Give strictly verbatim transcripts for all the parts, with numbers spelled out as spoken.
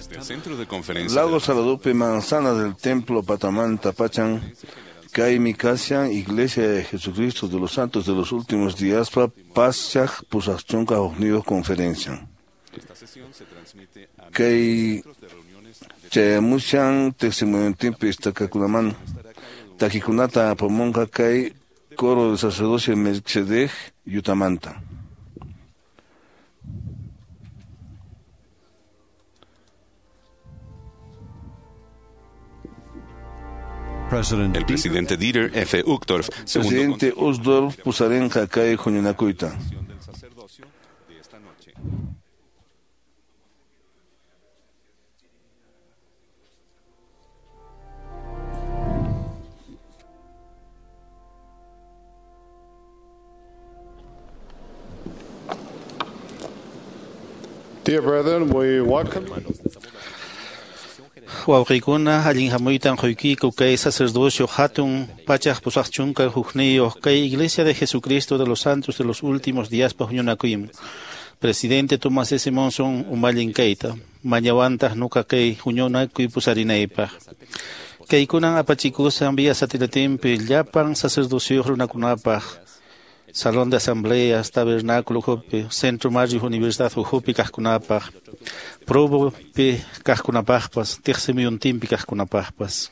Desde el centro de conferencia Lago Saladupe Manzana del Templo Patamanta Pachan Kaymi kashan Iglesia de Jesucristo de los Santos de los Últimos Días pa Paschaj pusaqchunka hukniyuq conferencia. Esta sesión se transmite a Kay centros de reuniones de chayamushan tiqsimuyuntinpi istakakunaman takikunata apamunqa kay coro del sacerdocio Melchizedek Yutamanta. President El presidente Dieter F. Uchtdorf, segundo Presidente Uchtdorf pusarinqa kay huñunakuyta. consejero del sacerdocio de esta noche. Dear brethren, we welcome Wawqiykuna allin hamuytan quykiku kay sacerdocio hatun pachaq pusaqchunka hukniyuq kay Iglesia de Jesucristo de los Santos de los Últimos Días pa huñunakuyman. Presidente Thomas S. Monson umallin kayta mañawantaq nuqa kay huñunakuy pusarinaypaq. Kaykunan apachikusan vía satelitempi llapan sacerdocioyuq runakunapaq Salón de Asambleas, Tabernáculo ukhupi, Centro Mario Universidad ukhupi kaqkunapaq, Provopi kaqkunapaqpas, Tiqsimuyuntinpi kaqkunapaqpas.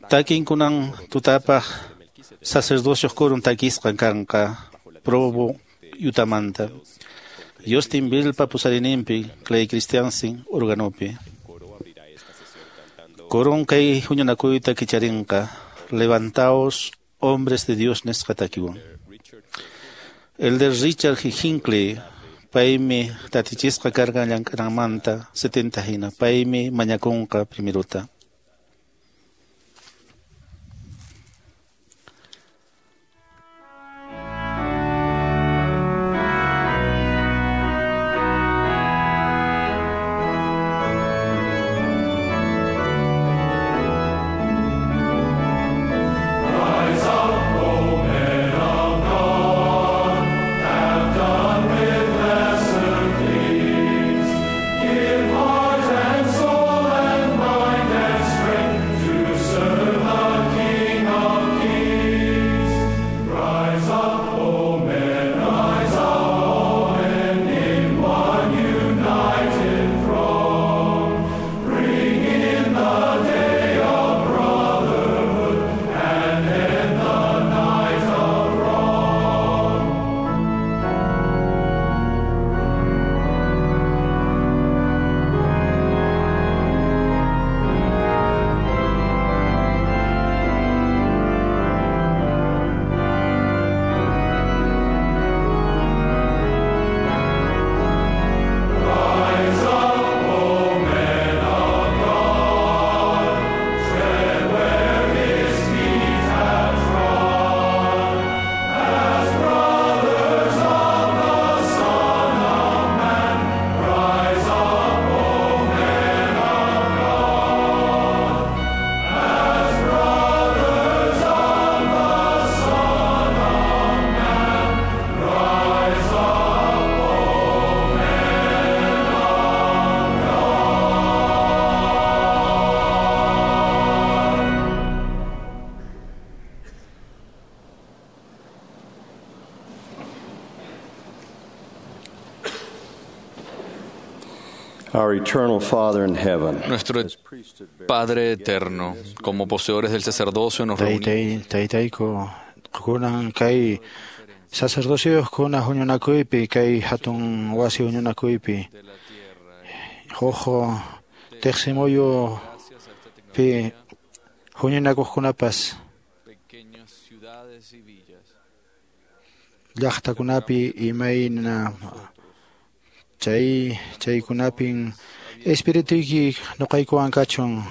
Takinkunan tutapaq sacerdocios kurun takisqan kanqa Provo Yutamanta. Justin Bilpa pusarininpi, Clay Christiansen organopi. Korun kay huñunakuyta kicharinqa, levantaos hombres de Dios nisqa takiwan. Elder Richard G. Hinckley, paymi tatichisqa karqan llank'ananmanta setenta hina, paymi mañakunqa primerota. Our eternal Father in heaven. Nuestro Padre eterno, como poseedores del sacerdocio nos reunimos Taytay taytayku kunan kay sacerdocioyuqkuna huñunakuypi kay hatun wasi huñunakuypi huk tiqsimuyupi huñunakuqkunapas pequeñas ciudades y villas. llaqtakunapi imayna chay chaykunapin espirituyki nuqaykuwan kachun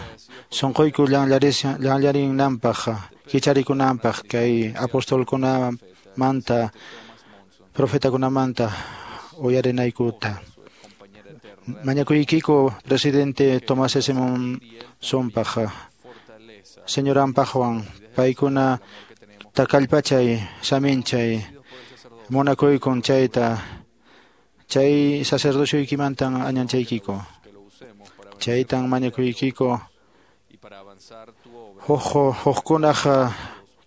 sunquyku llanllarishan llanllarinanpaq kicharikunanpaq kay apostolkunamanta profetakunamanta uyarinaykuta mañakuykiku presidente Tomás S. Monsonpaq señoranpaqwan paykuna takallpachay saminchay munakuykun chayta Chay sacerdocioykimantan añanchaykiku. Chaytan mañakuykiku huk hukkunaq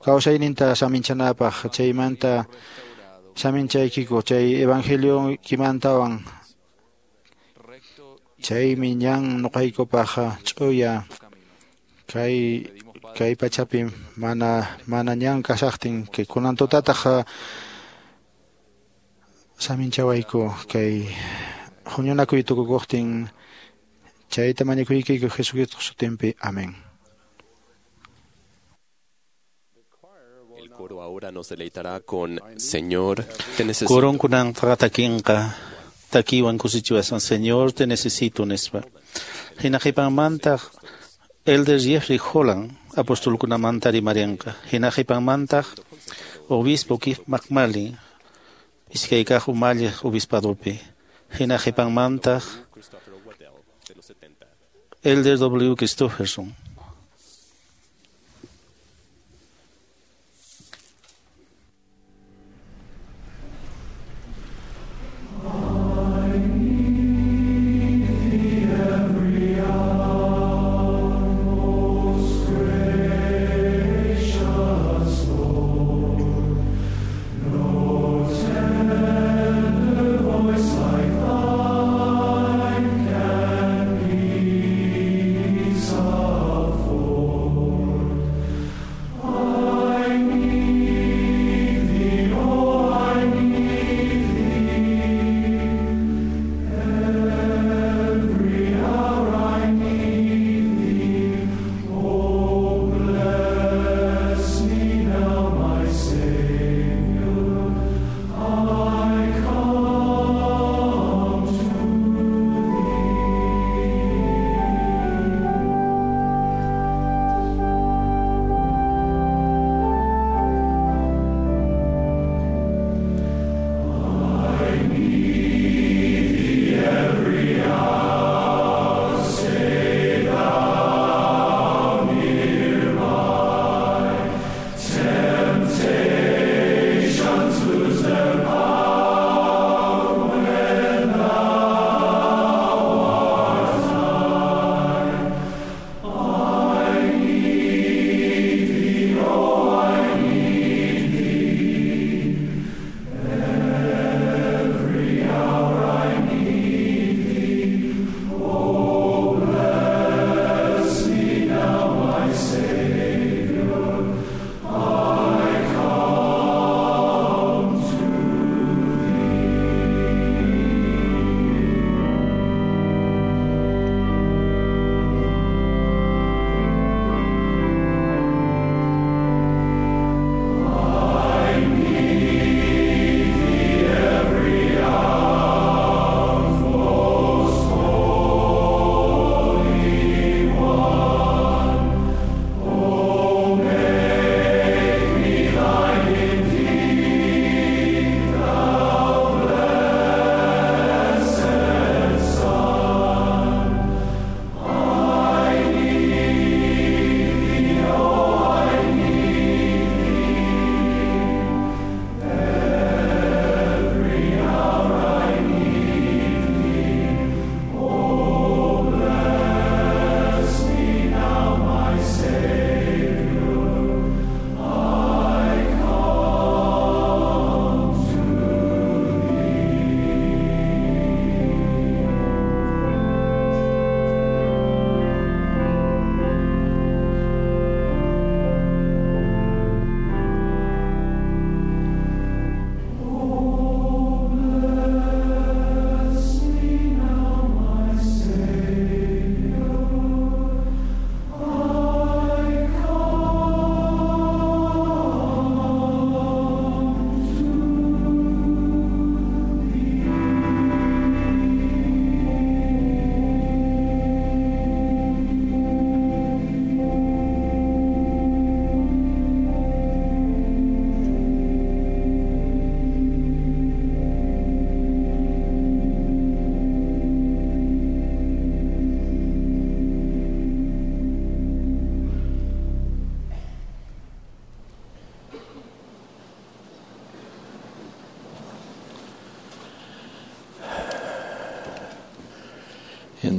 kawsayninta saminchanapaq, chaymanta saminchaykiku chay evangelioykimantawan. Chaymi ñan nuqaykupaq ch'uya kay kay pachapi mana mana ñan kashaqtin kay kunan tutataq saminchawayku kay huñunakuy tukukuqtin. Chayta mañakuykiku Jesucristo sutinpi. Amén. El coro ahora nos deleitará con Señor, te necesito. Coronkunanqa takinqa takiwan kusichiwasan Señor, te necesito nispa. Hina qhipanmantaq Elder Jeffrey Holland apostolkunamanta rimarinqa. Hina qhipanmantaq obispo Keith McMullen iskay kaq umalliq obispadopi. Hina qhipanmantaq Elder W. Christofferson. Voice like thine can peace.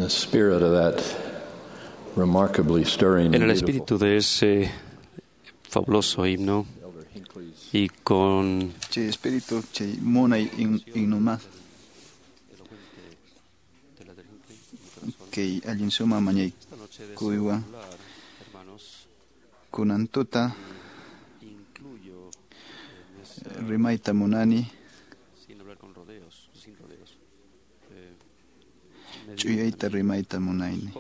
In the spirit of that remarkably stirring En el and espíritu de ese fabuloso himno y con Chay espíritu chay munay himno kay allin suma mañaykuywan kunan tuta rimayta munani ch'uyayta rimayta munayni.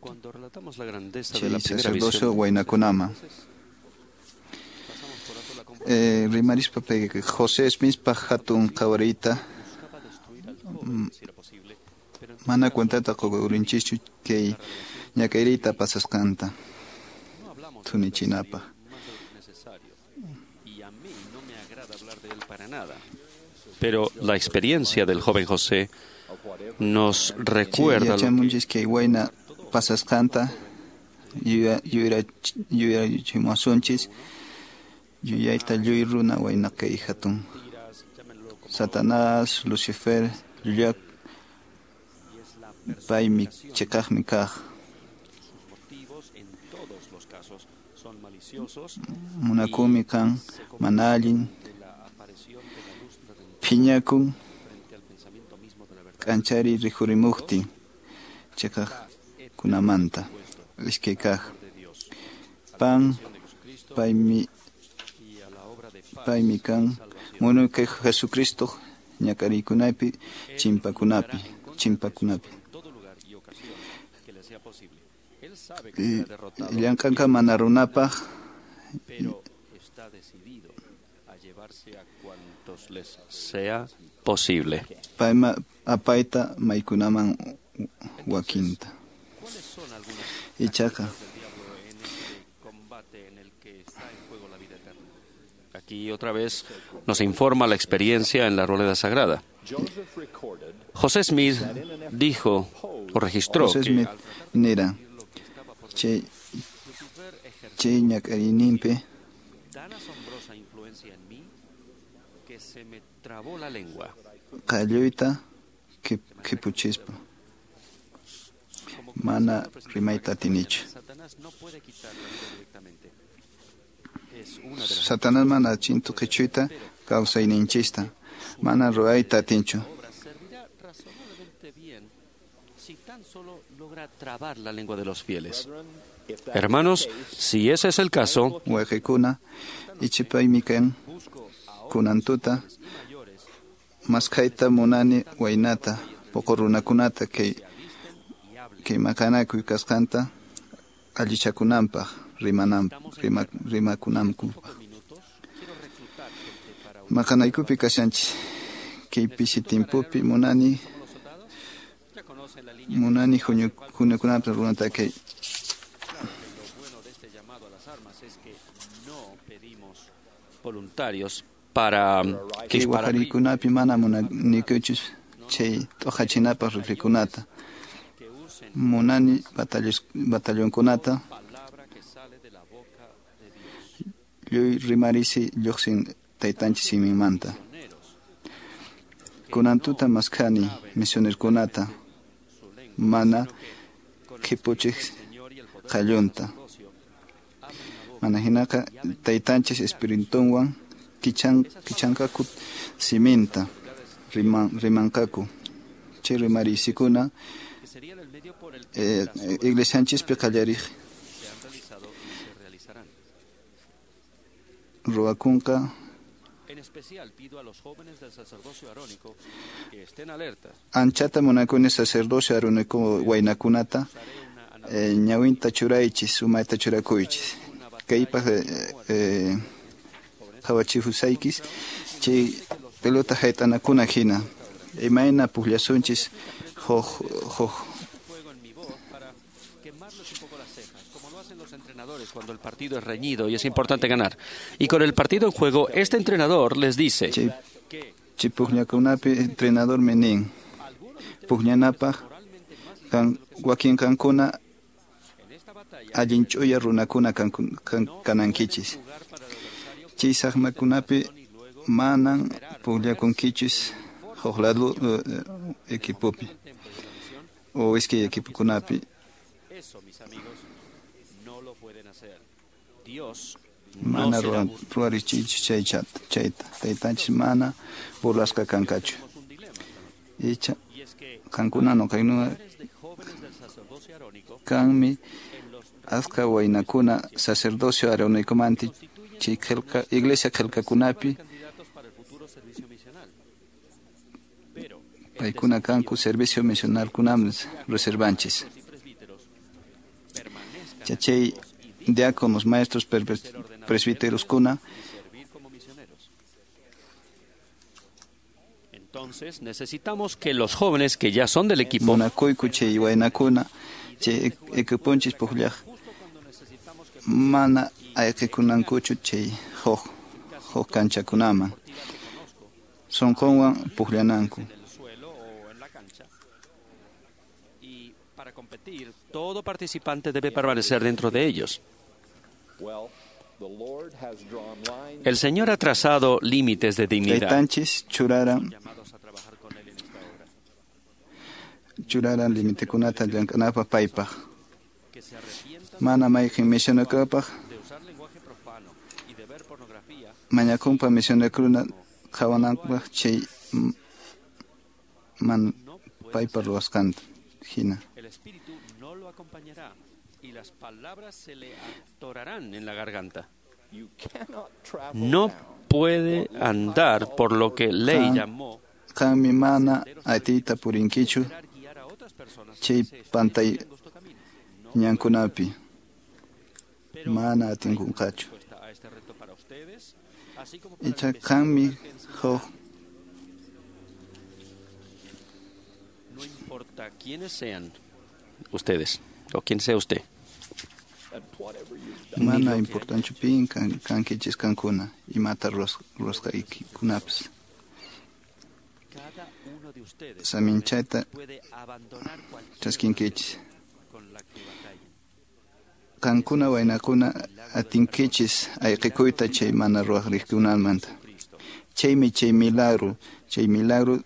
Cuando relatamos la grandeza de la Chay primera sacerdocio visión, waynakunama eh, rimarispa pay José Smithpa hatun qhawariyta mana cuentata qukurinchikchu kay ñak'ayriyta pasasqanta thunichinapaq. Pero la experiencia del joven José nos recuerda lo que Yachamunchis kay wayna pasasqanta yuyarachimuwasunchis yuyayta lluy runa wayna kay hatun Satanás, Lucifer, llullak paymi chiqaqmi kaq. Munakunmi kan mana allin phiñakun k'anchariy rikhurimuqtin chiqaqkunamanta. Iskay kaq pan paymi paymi kan munay kay Jesucristo ñak'ariykunapi chimpakunapi chimpakunapi. Llank'anqa mana runapaq sea posible. Payma apayta maykunaman wakinta. Ichaqa Aquí otra vez nos informa la experiencia en la Rueda Sagrada. José Smith dijo o registró José que Smith nira chay chay ñak'ariyninpi tan asombrosa influencia en mí que se me trabó la lengua. Qalluyta khipuchispa mana rimayta atinichu. Satanás mana chintu qhichuyta kawsayninchista mana ruwayta atinchu. Si tan solo logra trabar la lengua de los fieles. Hermanos, si ese es el caso, Wayqikuna ichipaymi kan kunan tuta maskhayta munani waynata puqu runakunata kay kay maqanakuy kasqanta allichakunanpaq rimanan rima, rimakunankupaq. Maqanaykupi kashanchis kay pisi timpupi munani munani huñukunapaq runata kay voluntarios para kay wajariykunapi mana munanikuchus chay t'uqachinapaq riflikunata munani batallonkunata lluy rimarisi lluqsin taytanchis siminmanta. Kunan tuta maskhani misionerkunata mana khipuchiq qallunta. Mana hinaqa taytanchis espiritunwan kichan kichanqaku siminta riman rimanqaku chay rimarisikuna eh, iglesianchispi qallariq ruwakunqa. En especial pido a los jóvenes del sacerdocio arónico que estén alerta. Anchata munakuni sacerdocio arónico waynakunata eh, ñawinta churaychis umayta churakuychis kaypaq eh, eh, qhawachihusaykis chay pelota hayt'anakuna hina imayna pukllasunchis huk huk entrenadores cuando el partido es reñido y es importante ganar. Y con el partido en juego, este entrenador les dice chay chay pukllakunapi entrenadormi nin pukllanapaq kan wakin kankuna allin ch'uya runakuna kanankichis chay saqmakunapi manan pukllakunkichis Huk lado equipopi o iskay equipokunapi. Mana ruwarichiychu chayta. Taytanchis mana burlasqa kankachu. Icha qankuna nuqaynuna kanmi askha waynakuna sacerdocio aaronikomanta chay qillqa iglesia qillqakunapi paykuna kanku servicio misionalkunaman reservanchis. Chay diáconos, maestros, presbíteroskuna. Entonces necesitamos que los jóvenes que ya son del equipo munakuyku chay waynakuna chay equiponchis pukllaq mana ayqikunankuchu chay huk huk kanchakunaman sunqunwan pukllananku. Para competir, todo participante debe permanecer dentro de ellos. El Señor ha trazado límites de dignidad. Taytanchis churaran churaran limitekunata llank'anapaq paypaq. Mana mayqin misionakapaq mañakunpa misionakuna qhawananpaq chay man paypa ruwasqanta hina. El espíritu no lo acompañará y las palabras se le atorarán en la garganta. No puede andar por lo que ley llamó qanmi mana atiyta purinkichu chay pantay ñankunapi mana atinkunqachu. Icha qanmi huk No importa quiénes sean ustedes o quién sea usted. Mana importanchu pin kankichis kankuna imata ruwasqaykikunapas. Saminchayta chaskinkichis. Qankuna waynakuna atinkichis ayqikuyta chay mana ruwaq riqkunamanta. Chaymi chay milagro, chay milagro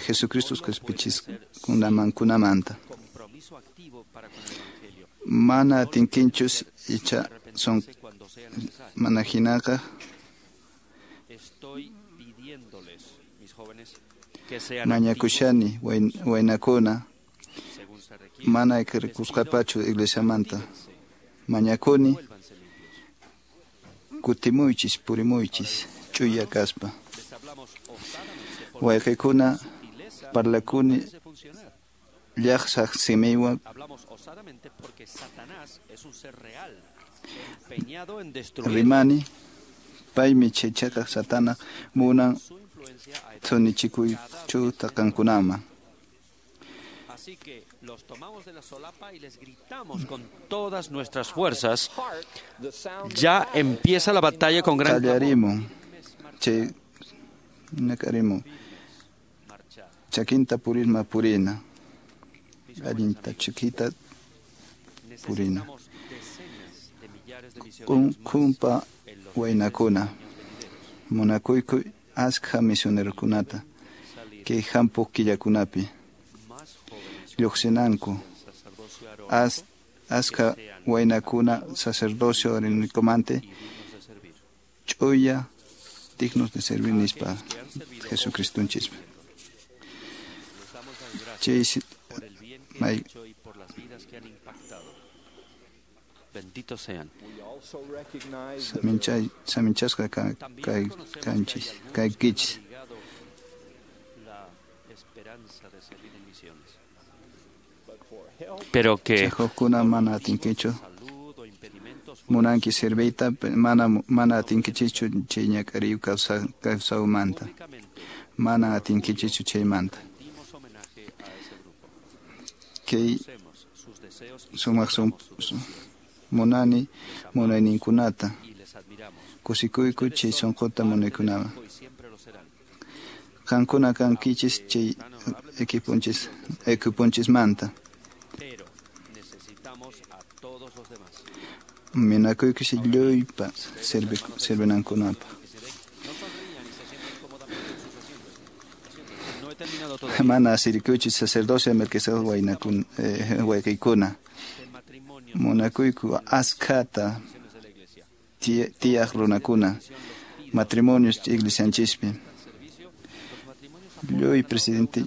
Jesucristo qhispichiskunamankunamanta. Mana atinkinchus icha son mana hinaqa mañakushani waynakuna mana ayqirikusqapachu iglesiamanta. Mañakuni kutimuychis purimuychis ch'uya kaspa. Wayqikuna parlakuni llaqsaq simiwan rimani paymi chay chakaq satana munan thunichikuychuta qankunaman. Así que los tomamos de la solapa y les gritamos con todas nuestras fuerzas. Ya empieza la batalla con gran Qallarimun chay nakarimun chakinta purisma purina allinta chiquita purina khumpa waynakuna munakuyku askha misionerokunata kay hampuq killakunapi lluqsinanku as askha waynakuna sacerdocio aaronikomanta ch'uya dignos de servir nispa Jesucristonchispa. Chay may Benditos sean. Saminchay saminchasqa kay kanchis kaykichis. Pero que hukkuna mana atinkichu munanki serviyta mana mana atinkichichu chay ñak'ariy kawsawmanta mana atinkichichu chaymanta kay sumaq munani munayninkunata kusikuyku chay sunquta munaykunawan qankuna kankichis chay equiponchis equiponchismanta. Minakuykichis lluypa servinankunapaq. Mana asirikuchu sacerdocio Melquisedec waynakun eh, wayqiykuna. Munakuyku askhata tiyaq runakuna matrimonios iglesianchispi. Lluy presidente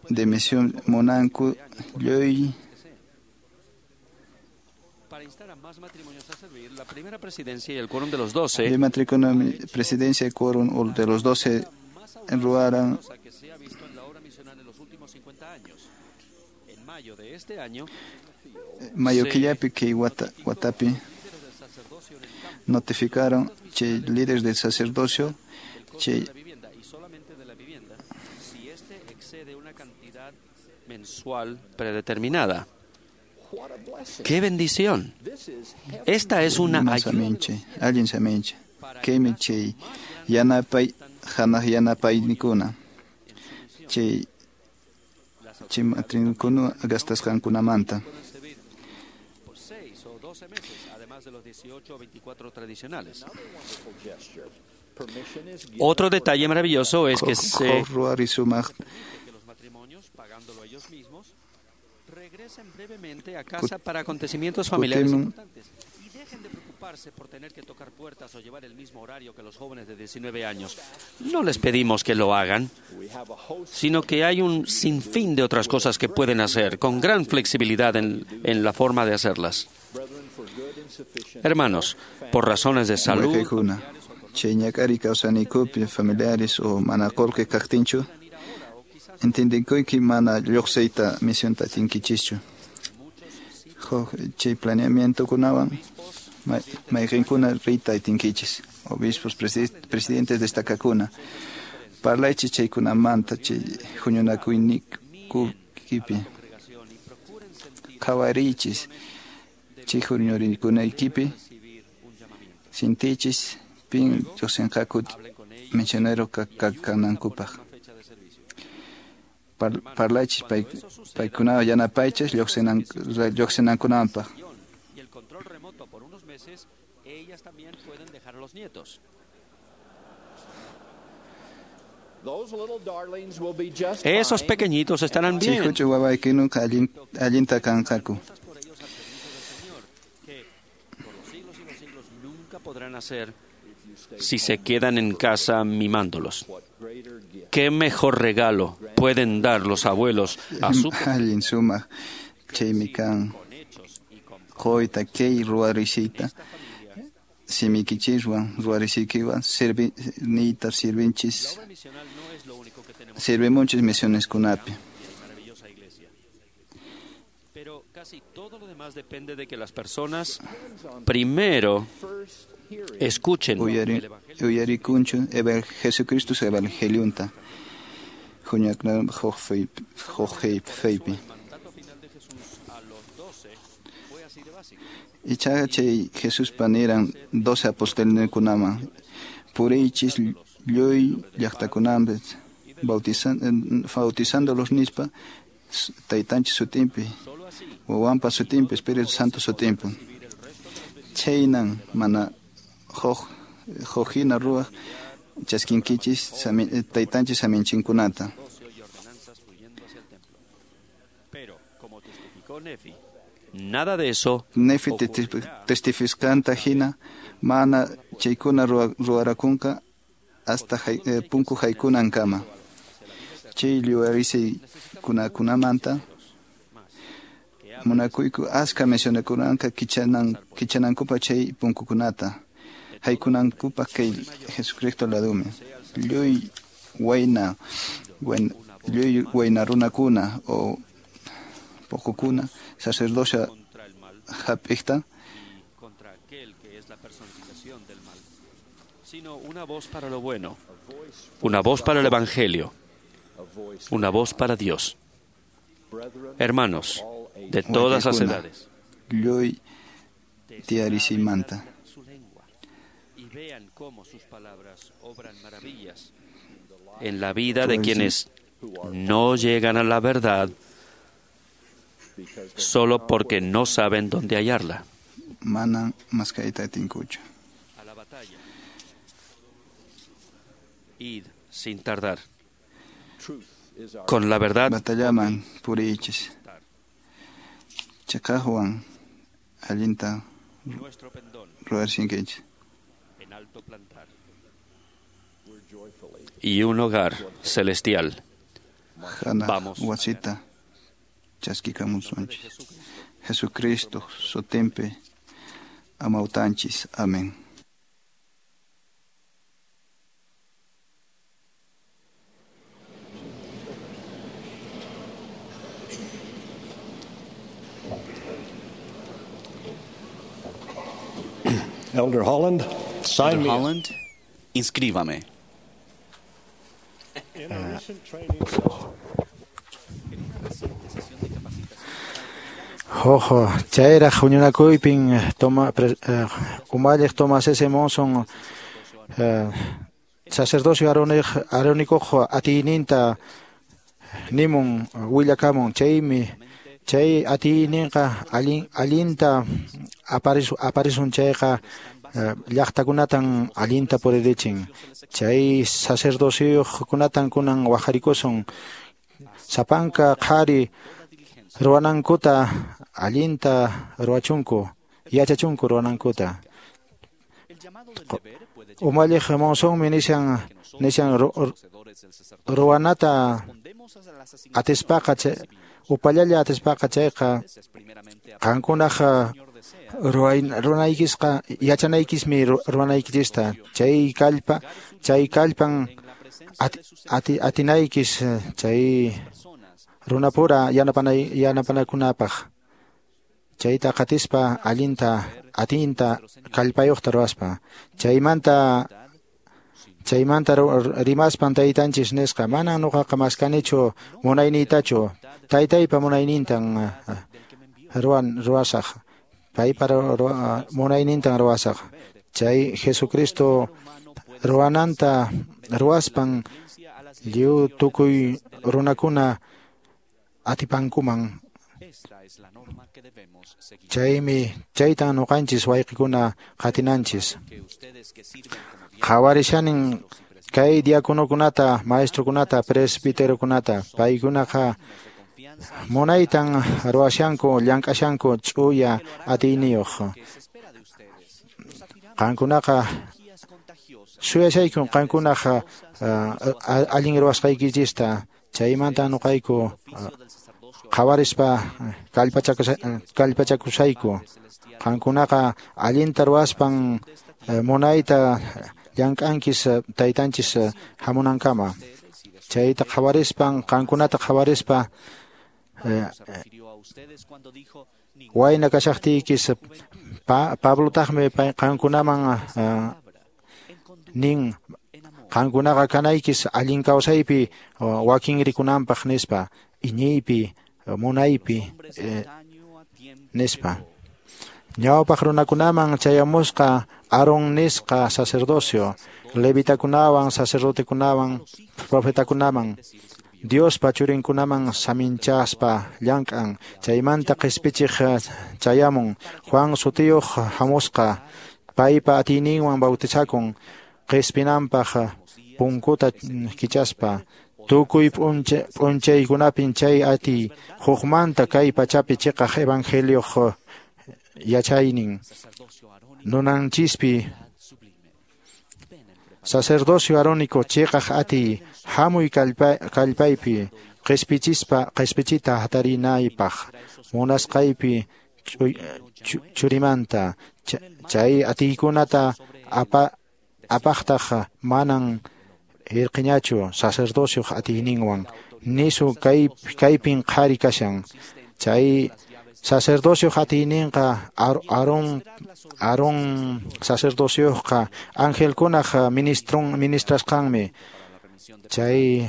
de misión munanku lluy para instar a más matrimonios a servir, la primera presidencia y el quórum de los doce. El matrimonio, presidencia y quórum de los doce ruaran que se ha visto en la obra misional en los últimos cincuenta años. En mayo de este año, mayo killapi kay wata, watapi notificaron che líderes del sacerdocio che y solamente de la vivienda si éste excede una cantidad mensual predeterminada. ¡Qué bendición! Esta es una ayuda. Allin saminche. Kaymi chay yanapay hanaq yanapaynikuna. Chay chay matrinkuna gastasqankunamanta. Por seis o doce meses, además de los dieciocho o veinticuatro tradicionales. Otro detalle maravilloso es que se que los matrimonios, pagándolo ellos mismos, regresen brevemente a casa para acontecimientos familiares importantes y dejen de preocuparse por tener que tocar puertas o llevar el mismo horario que los jóvenes de diecinueve años. No les pedimos que lo hagan, sino que hay un sinfín de otras cosas que pueden hacer con gran flexibilidad en, en la forma de hacerlas. Hermanos, por razones de salud, familiares o mana qullqi kaqtinchu entiendenkuyki mana lluqsiyta misionta atinkichischu. Huk chay planeamientokunawan mayqinkuna riyta atinkichis. Obispos, presidentes destacakuna. Parlaychis chaykunamanta chay huñunakuyninkupi. Qhawariychis chay huñunakuyninkupi. Sintichis pin lluqsinqaku misionero kanankupaq. Parlaychis paykunawan yanapaychis lluqsinankunapaq. Y el control remoto por unos meses, ellas también pueden dejar a los nietos. Esos pequeñitos estarán bien. Chay huch'uy wawaykunaqa allinta kanqaku. Por los siglos y los siglos nunca podrán hacer si se quedan en casa mimándolos. ¿Qué mejor regalo pueden dar los abuelos a su allin sumaq chaymi kan quyta kay ruwarisiyta simiykichiswan ruwarisiykiwan sirvi niyta sirvinchis sirvimunchis misioneskunapi. Pero casi todo lo demás depende de que las personas primero escuchen Uyari, uyarikunchu Jesucristo evangelionta huñakna huk feypi. Ichaqa chay Jesuspa niran doce apostolninkunaman puriychis lluy llaqtakunapi bautizándolos nispa taytanchis sutinpi wawanpa sutinpi Espíritu Santo sutinpi. Chaynan mana huk huk hina ruwaq chaskinkichis taytanchis saminchinkunata. Nada de eso. Nefi testifiskanta hina mana chaykuna ruwarakunqa hasta punku haykunankama. Chay lluwarisiykunakunamanta munakuyku aska misionekunanqa kichanan kichanankupaq chay punkukunata haykunankupaq kay Jesucristo ladumi. Lluy wayna lluy wayna runakuna o pukukuna sacerdocio hap'iqta contra aquel que es la personificación del mal, sino una voz para lo bueno, una voz para el evangelio, una voz para Dios. Hermanos de todas las edades, lluy tiyarisimanta y vean cómo sus palabras obran maravillas en la vida de quienes no llegan a la verdad solo porque no saben dónde hallarla. Manan maskayta atinkuchu. A la batalla. Id sin tardar. Con la verdad. Batallaman puriychis. Chiqaqwan allinta ruwarsinkichis. Y un hogar celestial. Hanaq wasita chaskikamusunchis. Jesucristo sutinpi amawtanchis. Amén. Elder Holland, sign Elder me. Holland, inscríbame. In a recent training session, Ojo, chayraq huñunakuypin toma pre, eh, umalliq Thomas S. Monson eh, sacerdocio arónic arónicoq atiyninta nimun willakamun chaymi chay atiyninqa allin allinta aparisu aparisun chayqa eh, llaqtakunatan allinta puririchin chay sacerdociokunatan kunan waqharikusun sapanka qhari ruwanankuta allinta ruwachunku yachachunku ruwanankuta. Umalliq Monsonmi nishan nishan ruwanata atispaqa upallalla atispaqa chayqa qankunaq ruwanaykisqa yachanaykismi ruwanaykichista chay kallpa chay kallpan ati atinaykis chay runapura yanapanay yanapanakunapaq chayta qatispa allinta atinta kallpayuqta ruwaspa chaymanta chaymanta rimaspan taytanchis nisqa mana nuqaqa maskanichu munayniytachu taytaypa munaynintan ruwan ruwasaq paypa munaynintan ruwasaq chay Jesucristo ruwananta ruwaspan lliw tukuy runakuna atipankuman chaymi chaytan nuqanchis wayqikuna qatinanchis qhawarishanin kay diaconokunata maestrokunata presbiterokunata paykunaqa munaytan ruwashanku llank'ashanku ch'uya atiyniyuq qankunaqa suyashaykun qankunaqa allin ruwasqaykichista chaymanta nuqayku qhawarispa kallpachakusayku qankunaqa allinta ruwaspan munayta llank'ankis taytanchis hamunankama chayta qhawarispan qankunata qhawarispa wayna kashaqtiykis Pablotaqmi qankunaman nin qankunaqa kanaykis allin kawsaypi wakin rikunanpaq nispa iñiypi munaypi nispa ñawpaq runakunaman chayamusqa Aarón nisqa sacerdocio levitakunawan sacerdotekunawan profetakunaman Diospa churinkunaman saminchaspa llank'an chaymanta qispichiq chayamun Juan sutiyuq hamusqa paypa atiyninwan bautizakun qispinanpaq punkuta kichaspa tukuy p'unchaykunapin chay atiy hukmanta kay pachapi chiqaq evangelioq yachaynin nunanchispi sacerdocio arónico chiqaq atiy hamuy kallpaypi qispichispa qispichita hatarinaypaq munasqaypi churimanta chay atiykunata apa apaqtaq manan irqiñachu sacerdocioq atiyninwan nisu kay kaypin qhari kashan chay sacerdocioq atiyninqa Aarón Aarón sacerdocioqqa angelkunaq ministrun ministrasqanmi chay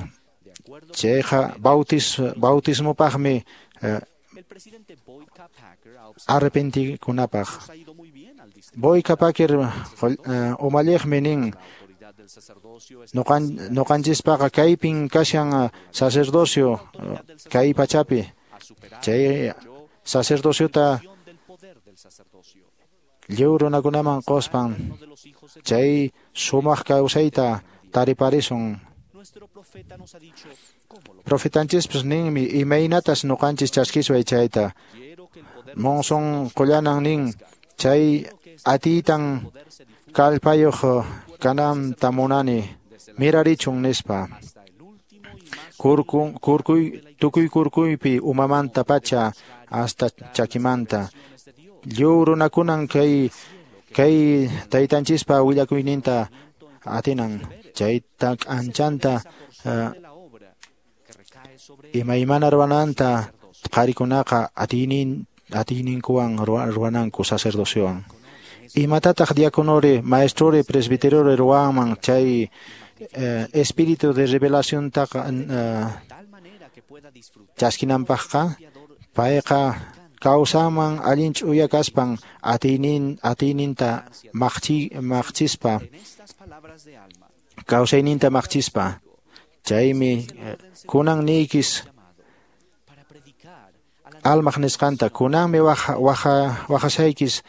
chayqa bautis bautismopaqmi arrepentikunapaq Boy Packer umalliqmi nin nuqanchispaqa kaypin kashan sacerdocio kay pachapi chay sacerdociota lliw runakunaman quspan chay sumaq kawsayta tariparisun. Profetanchispas ninmi imaynatas nuqanchis chaskisway chayta. Monson Qollanan nin chay atiytan kallpayuq kananta munani mirarichun nispa. Kurkun kurkuy tukuy kurkuypi umamanta pacha hasta chakimanta. Lliw runakunan kay kay taytanchispa willakuyninta atinan chayta k'anchanta uh, imaymana ruwananta qharikunaqa atiynin atiyninkuwan ruwananku sacerdociowan. Imatataq diaconore, maestrore, presbiterore ruwanman chay eh, espíritu de revelación taqa uh, chaskinanpaqqa payqa kawsanman allin ch'uya kaspan atiynin atiyninta maqchi maqchispa kawsayninta maqchispa. Chaymi kunan niykis almaq nisqanta kunanmi waja waja wajasaykis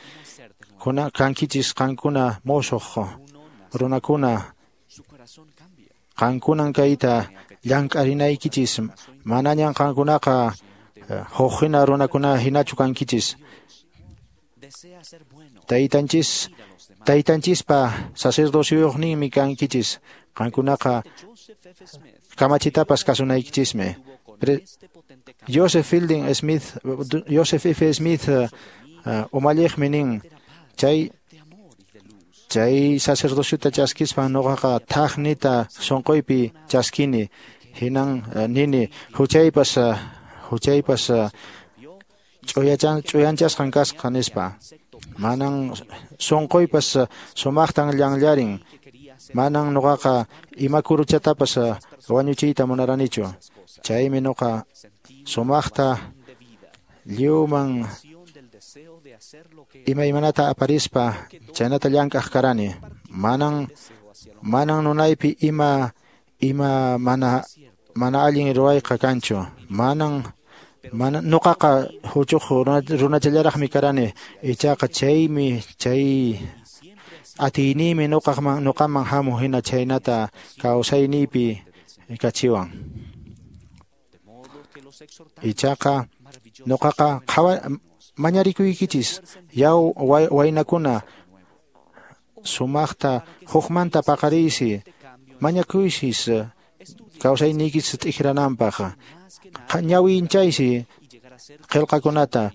kuna kankichis qankuna mosoq runakuna qankunan kayta llank'arinaykichis manañan qankunaqa huk hina runakuna hinachu kankichis. Taytanchis taytanchispa sacerdocioyuqninmi kankichis qankunaqa kamachitapas kasunaykichismi. Joseph Fielding Smith Joseph F. Smith uh, umalliqmi nin chay chay sacerdociota chaskispan nuqaqa thaqnita sunquypi chaskini hinan uh, nini huchaypas uh, huchaypas uh, ch'uyachan ch'uyanchasqan kasqa nispa. Manan sunquypas uh, sumaqtan llanllarin manan nuqaqa ima kuruchatapas uh, wañuchiyta munaranichu. Chaymi nuqa sumaqta lliwman imaymanata aparispa chaynata llank'aq karani. Manan manan nunaypi ima ima mana mana allin ruwayqa kanchu. Manan mana nuqaqa huchuq runachallaraqmi karani. Ichaqa chaymi chay atiyniymi nuqaqman nuqaman hamuq hina chaynata kawsayniypi kachiwan. Ichaqa nuqaqa qhawa mañarikuykichis yaw waynakuna sumaqta hukmanta paqariysi mañakuysis kawsayniykis t'ikrananpaq ñawinchaysi qillqakunata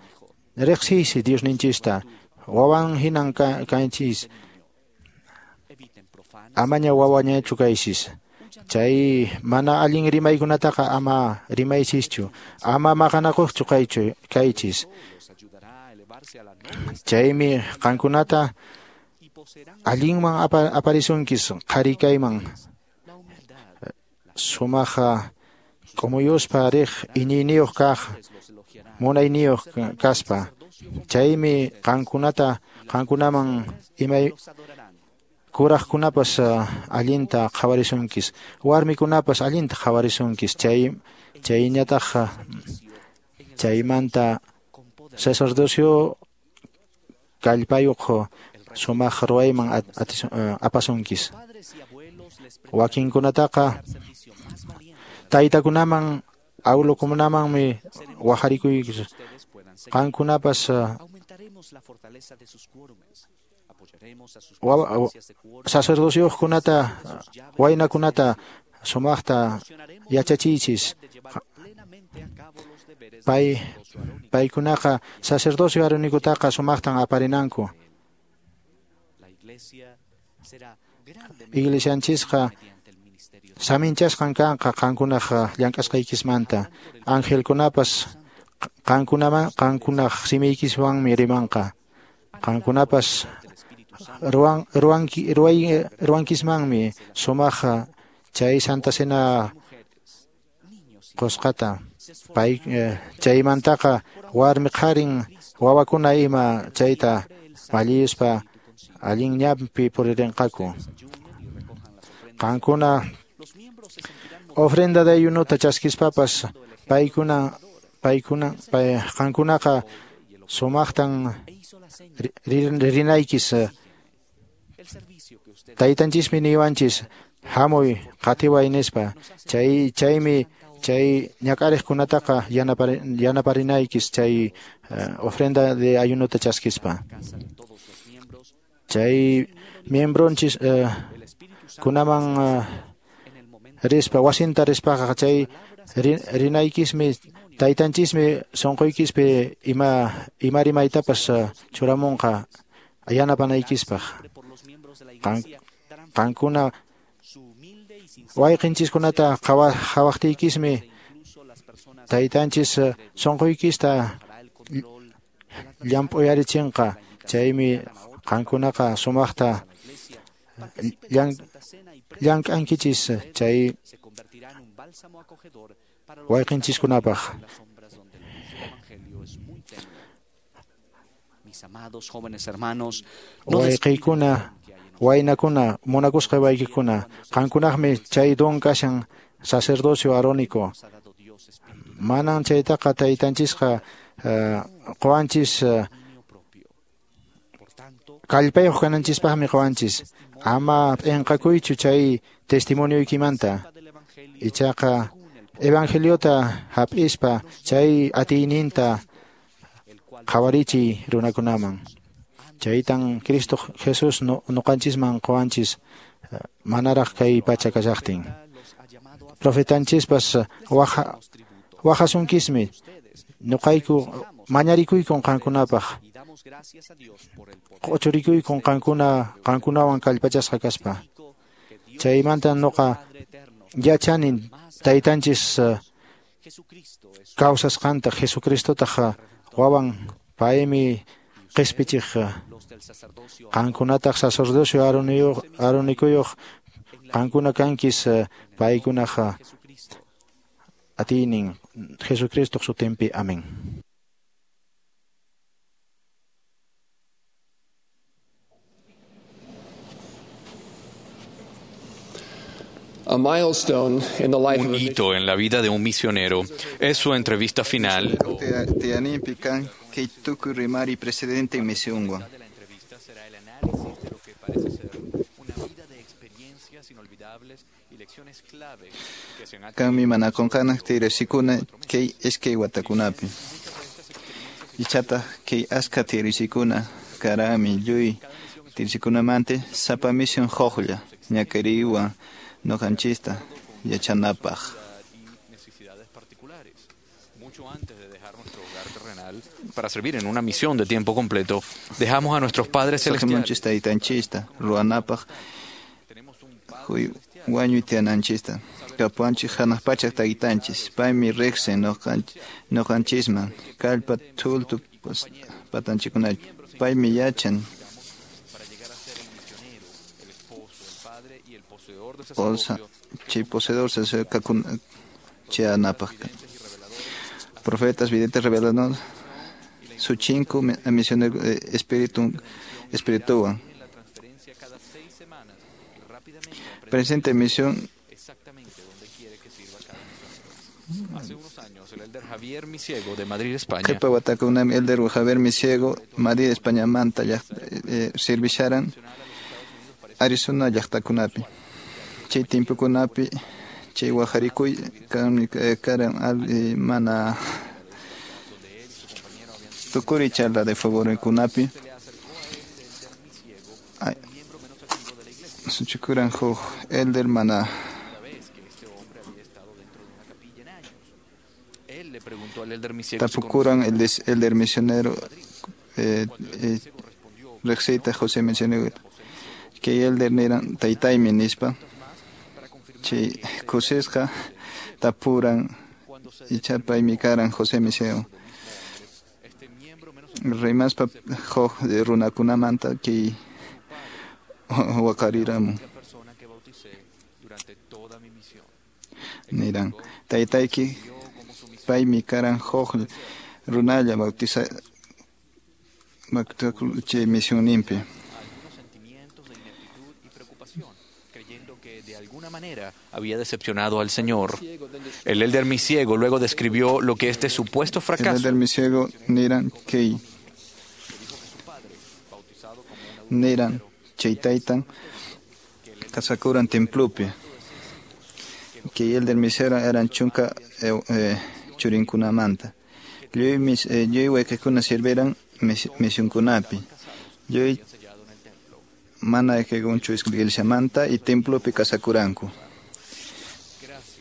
riqsiysi Diosninchista wawan hinan kanchis amaña wawañachu kaysis. Chay mana allin rimaykunataqa ama rimaysischu ama maqanakuqchu kaychu kaychis. Chaymi qankunata allinman aparisunkis qhari kayman sumaqa k'umuyuspa riq iñiyniyuq kaq munayniyuq kaspa. Chaymi qankunata qankunaman imay kuraqkunapas allinta qhawarisunkis warmikunapas allinta qhawarisunkis. Chay chayñataq chaymanta sacerdocio kallpayuq sumaq ruwayman apasunkis. Wakinkunataqa taytakunaman awlukunamanmi wajarikuykis qankunapas sacerdocioqkunata waynakunata sumaqta yachachiychis. Pay paykunaqa sacerdocio arunikutaqa sumaqtan aparinanku. Iglesianchisqa saminchasqan kanqa qankunaq llank'asqaykismanta. Angelkunapas qankunaman qankunaq simiykiswanmi rimanqa. Qankunapas ruwan ruwanki ruway ruwankismanmi sumaq chay Santa Cena qusqata. Pay chaymantaqa warmi qharin wawakuna ima chayta malliyuspa allin ñanpi puririnqaku. Qankuna ofrenda de ayunota chaskispapas paykuna paykuna pay qankunaqa sumaqtan rinaykis. Taytanchismi niwanchis hamuy qatiway nispa. Chay chaymi Chay ñak'ariqkunataqa yanaparinaykis chay ofrenda de ayunota chaskispa. Chay miembronchis kunaman rispa wasinta rispaqa chay rinaykismi taytanchismi sunquykispi ima ima rimaytapas churamunqa yanapanaykispaq. Qankuna wayqinchiskunata qhawaqtiykismi taytanchis sunquykista llamp'uyarichinqa. Chaymi qankunaqa sumaqta llank'ankichis chay wayqinchiskunapaq. Wayqiykuna, waynakuna, munakusqa waykikuna, qankunaqmi chay don kashan sacerdocio arónico. Manan chaytaqa taytanchisqa qowanchis kallpayuq kananchispaqmi qowanchis. Ama p'inqakuychu chay testimonioykimanta. Ichaqa evangeliota hap'ispa chay atiyninta qhawarichiy runakunaman. Chaytan Cristo Jesús nuqanchisman qowanchis manaraq kay pacha kashaqtin. Profetanchispas waqasunkismi nuqayku mañarikuykun qankunapaq. Q'uchurikuykun qankuna qankunawan kallpachasqa kaspa. Chaymanta nuqa yachanin taytanchis kawsasqanta Jesucristotaq wawan paymi qispichiq. Qankunataq sacerdocio aronikuyuq qankuna kankis paykunaq atiynin Jesucristoq sutinpi. Amén. Un hito en la vida de un misionero es su entrevista final. Kanmi manakunqanaq tiyarisikuna kay iskay watakunapi. Ichataq kay askha tiyarisikuna karami lluy tiyarisikunamanta sapa misión huqlla ñak'ariywan nuqanchista yachanapaq. Para servir en una misión de tiempo completo, dejamos a nuestros padres celestiales. Taytanchista ruwanapaq wañuy tiyananchista. Kapuwanchik hanaq pachaq taytanchis paymi riqsin nuqanchisman kallpa thultu patanchikkunapi paymi yachan chay poseedor chayanapaq. Profetas, videntes, reveladores, suchinku misionero espíritu espiritual. Presente misión. Hace unos años, el elder Javier Misiego de Madrid, España. Qhipa watakunami elder Javier Misiego, Madrid, España manta servisharan Arizona llaqtakunapi. Chay timpukunapi chay wajarikuy karan mana tukuri charla de favorkunapi. Suchikuran huk elder mana tapukuran el elder misionero eh, eh, riqsiyta José misionero kay elder niran taytaymi nispa chay kusisqa tapuran icha paymi karan José Misiego rimaspa huk runakunamanta kay waqariramun niran taytayki paymi karan huk runalla bautiza chay misionninpi. De alguna manera había decepcionado al Señor. El elder Misiego luego describió lo que este supuesto fracaso. El elder Misiego niran kay niran chay taytan kasakuran templupi. Kay elder Misiego eran chunka eh, churinkunamanta. Lluy mis eh, lluy wayqikuna sirviran misionkunapi. Lluy mana ayqikunchu iglesiamanta y templopi kasakuranku.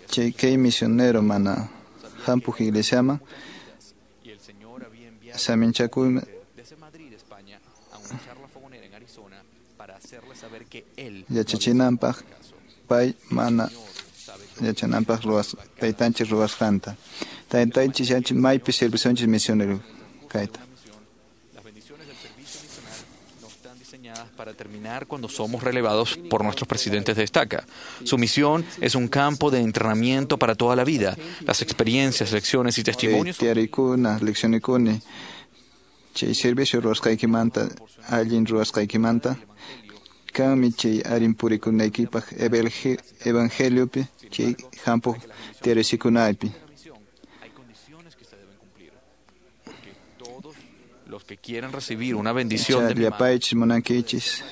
Chay kay misionero mana hampuq iglesiaman saminchakuyman yachachinanpaq pay mana yachananpaq ruwas taytanchik ruwasqanta. Taytanchik yachin maypi servicionchis misionero kayta. Para terminar cuando somos relevados por nuestros presidentes de estaca. Su misión es un campo de entrenamiento para toda la vida. Las experiencias, lecciones y testimonios. Tiyarikuna, leccionikuna, chay servicio ruwasqaykimanta, allin ruwasqaykimanta, kanmi chay arin purikunaykipaq evangeliopi, chay hampuq tiyarisikunaypi. Los que quieran recibir una bendición de mi mano, llapaychis munankichis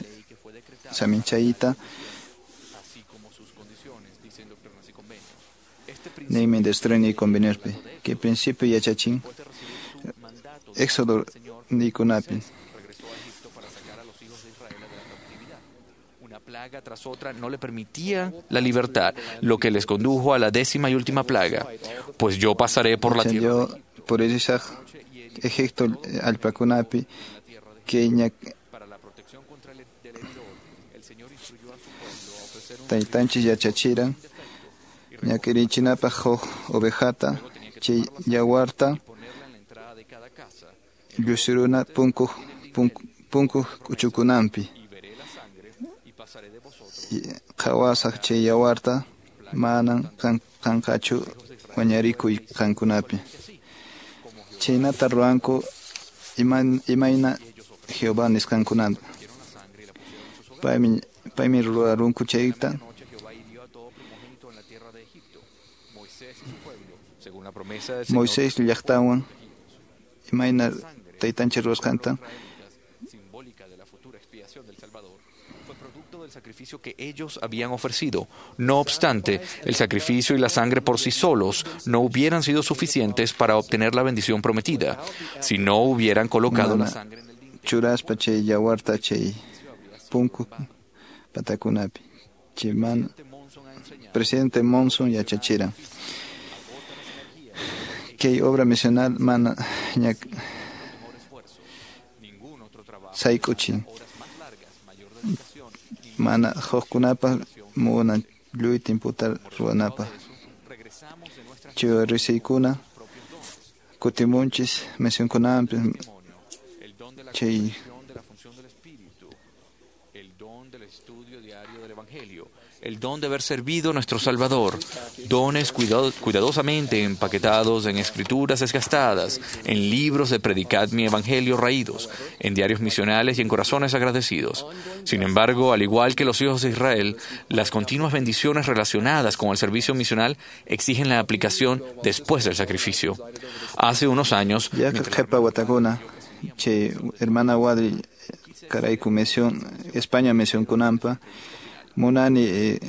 saminchayta neymi doctrina y conveniospi kay principio yachachin Éxodo niykunapi. Una plaga tras otra no le permitía la libertad, lo que les condujo a la décima y última plaga. Pues yo pasaré por la tierra. Por esa Egipto allpakunapi kay taytanchis yachachiran ñak'irichinapaq huk ovejata chay yawarta llusiruna punkuq punkuq k'uchukunanpi qhawasaq chay yawarta manan kanqachu wañarikuy qankunapi. Chaynata ruwanku imayna Jehová nisqankunata. Paymi paymi ruwarunku chayta. Moisés llaqtawan imayna taytanchik ruwasqanta del sacrificio que ellos habían ofrecido. No obstante, el sacrificio y la sangre por sí solos no hubieran sido suficientes para obtener la bendición prometida si no hubieran colocado la sangre en el dintel. Churaspa chay yawarta chay punku patakunapi. Chay man presidente Monson yachachira. Kay obra misional mana ñak sayk'uchin. Mana hukkunapaq munan lluy timputa ruwanapaq. Chay risiykuna kutimunchis misionkunapi chay el don de haber servido a nuestro Salvador, dones cuidado, cuidadosamente empaquetados en escrituras desgastadas, en libros de Predicad mi Evangelio raídos, en diarios misionales y en corazones agradecidos. Sin embargo, al igual que los hijos de Israel, las continuas bendiciones relacionadas con el servicio misional exigen la aplicación después del sacrificio. Hace unos años... Ya che, hermana Wadri, Karayku misión, España misión kunampa, munani eh,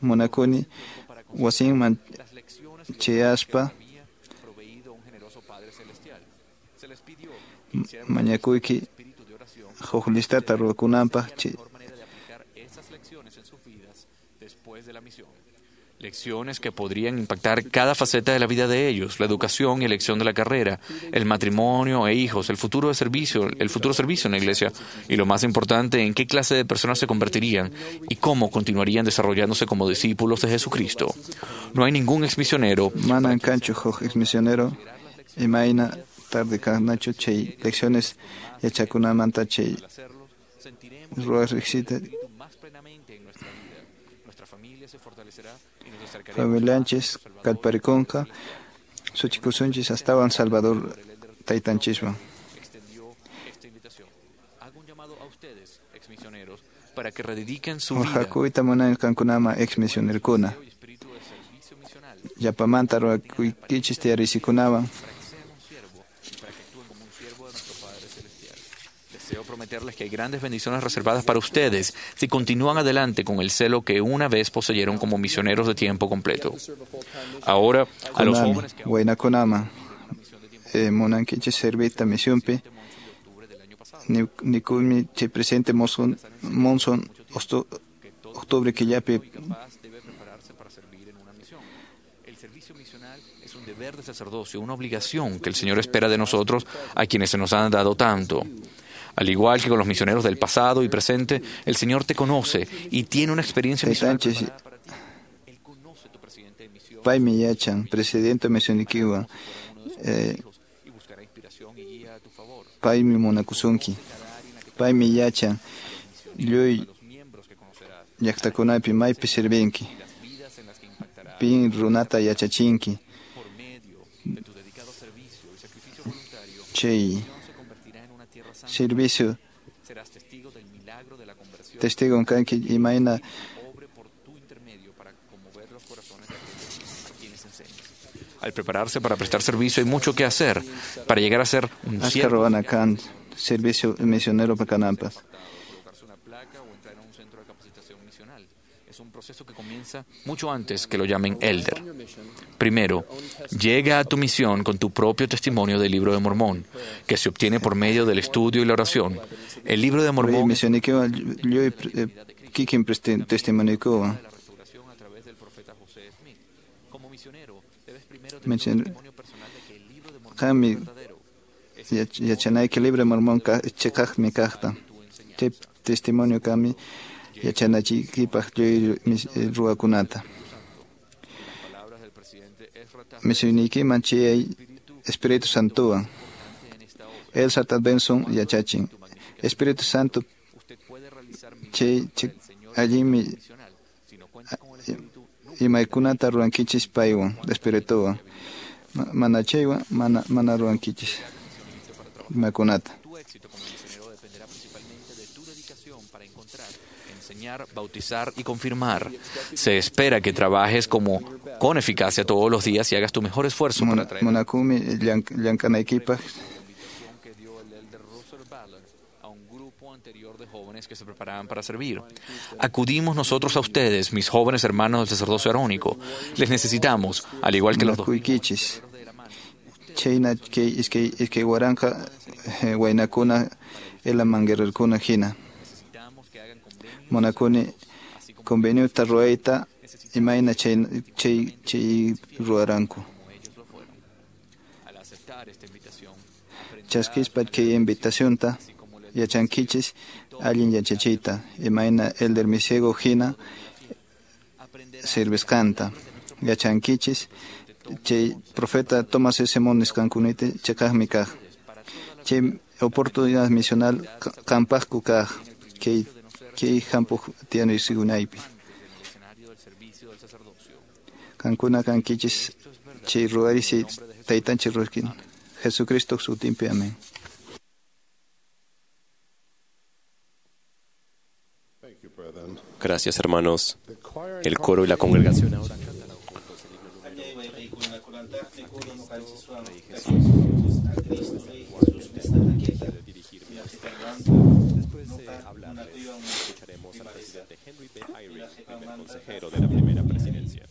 munakuni wasinman chayaspa mañakuyki huk listata ruwakunanpaq chay Lecciones que podrían impactar cada faceta de la vida de ellos, la educación y elección de la carrera, el matrimonio e hijos, el futuro de servicio, el futuro servicio en la iglesia, y lo más importante, en qué clase de personas se convertirían y cómo continuarían desarrollándose como discípulos de Jesucristo. No hay ningún exmisionero. Manan kanchu huk exmisionero imayna tarde kanachu chay lecciones yachakunamanta chay ruwaq riqsita familianchis kallparikunqa suchikusunchis astawan Salvador taytanchiswan. Para que redediquen su vida. Waqhakuyta munani qankunaman exmisionerokuna. Llapamanta ruwakuykichis tiyarisikunawan. Deseo prometerles que hay grandes bendiciones reservadas para ustedes si continúan adelante con el celo que una vez poseyeron como misioneros de tiempo completo. Ahora, a los jóvenes que Waynakunama eh, munankichis servita misionpi nikuymi chay presidente Monson, Monson osto, octubre killapi. Es un deber de sacerdocio, una obligación que el Señor espera de nosotros a quienes se nos han dado tanto. Al igual que con los misioneros del pasado y presente, el Señor te conoce y tiene una experiencia misional preparada para ti. Él conoce tu presidente de misión. Paymi yachan, presidente misionikiwan. Eh, paymi munakusunki. Paymi yachan, lluy llaqtakunapi maypi servinki. Pin runata yachachinki. Chay servicio testigo kanki imayna Al prepararse para prestar servicio hay mucho que hacer para llegar a ser un Ashka ruwana kan servicio misionero kananpaq. Es un proceso que comienza mucho antes que lo llamen elder. Primero, llega a tu misión con tu propio testimonio del Libro de Mormón, que se obtiene por medio del estudio y la oración. El Libro de Mormón Qammi yachanayki Libro de Mormón chiqaqmi kaqta. Chay testimonio kami yachanachiykipaq lluy ruwakunata. Misioniykiman chayay Espíritu Santowan. Elsa Benson yachachin. Espíritu Santo chay allinmi imaykunata ruwankichis paywan Espirituwan. Mana chaywan mana mana ruwankichis imakunata. Enseñar, bautizar y confirmar. Se espera que trabajes como con eficacia todos los días y hagas tu mejor esfuerzo para traer Munakumi llank'anaykipaq que dio el elder Russell Ballard a un grupo anterior de jóvenes que se preparaban para servir. Acudimos nosotros a ustedes, mis jóvenes hermanos del sacerdocio arónico. Les necesitamos, al igual que los dos. Munakuykichis. Chayna kay iskay iskay waranqa waynakuna Helaman guerrerkuna hina. Munakuni conveniota ruwayta imayna chay chay chay ruwaranku. Chaskispa kay invitacionta yachankichis allin yachachiyta imayna elder Misiego hina servisqanta. Yachankichis chay profeta Thomas S. Monson nisqankunata chiqaqmi kaq. Chay oportunidad misional qampaqku kaq kay kay hampuq tiyanaysikunaypi. Qankuna kankichis chay ruwarisi taytanchik ruwaskin. Jesucristo sutinpi amén. Gracias, hermanos. El coro y la congregación ahora cantarán juntos el himno número. Después de hablarles, escucharemos al presidente Henry B. Eyring, primer consejero de la primera presidencia.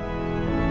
Thank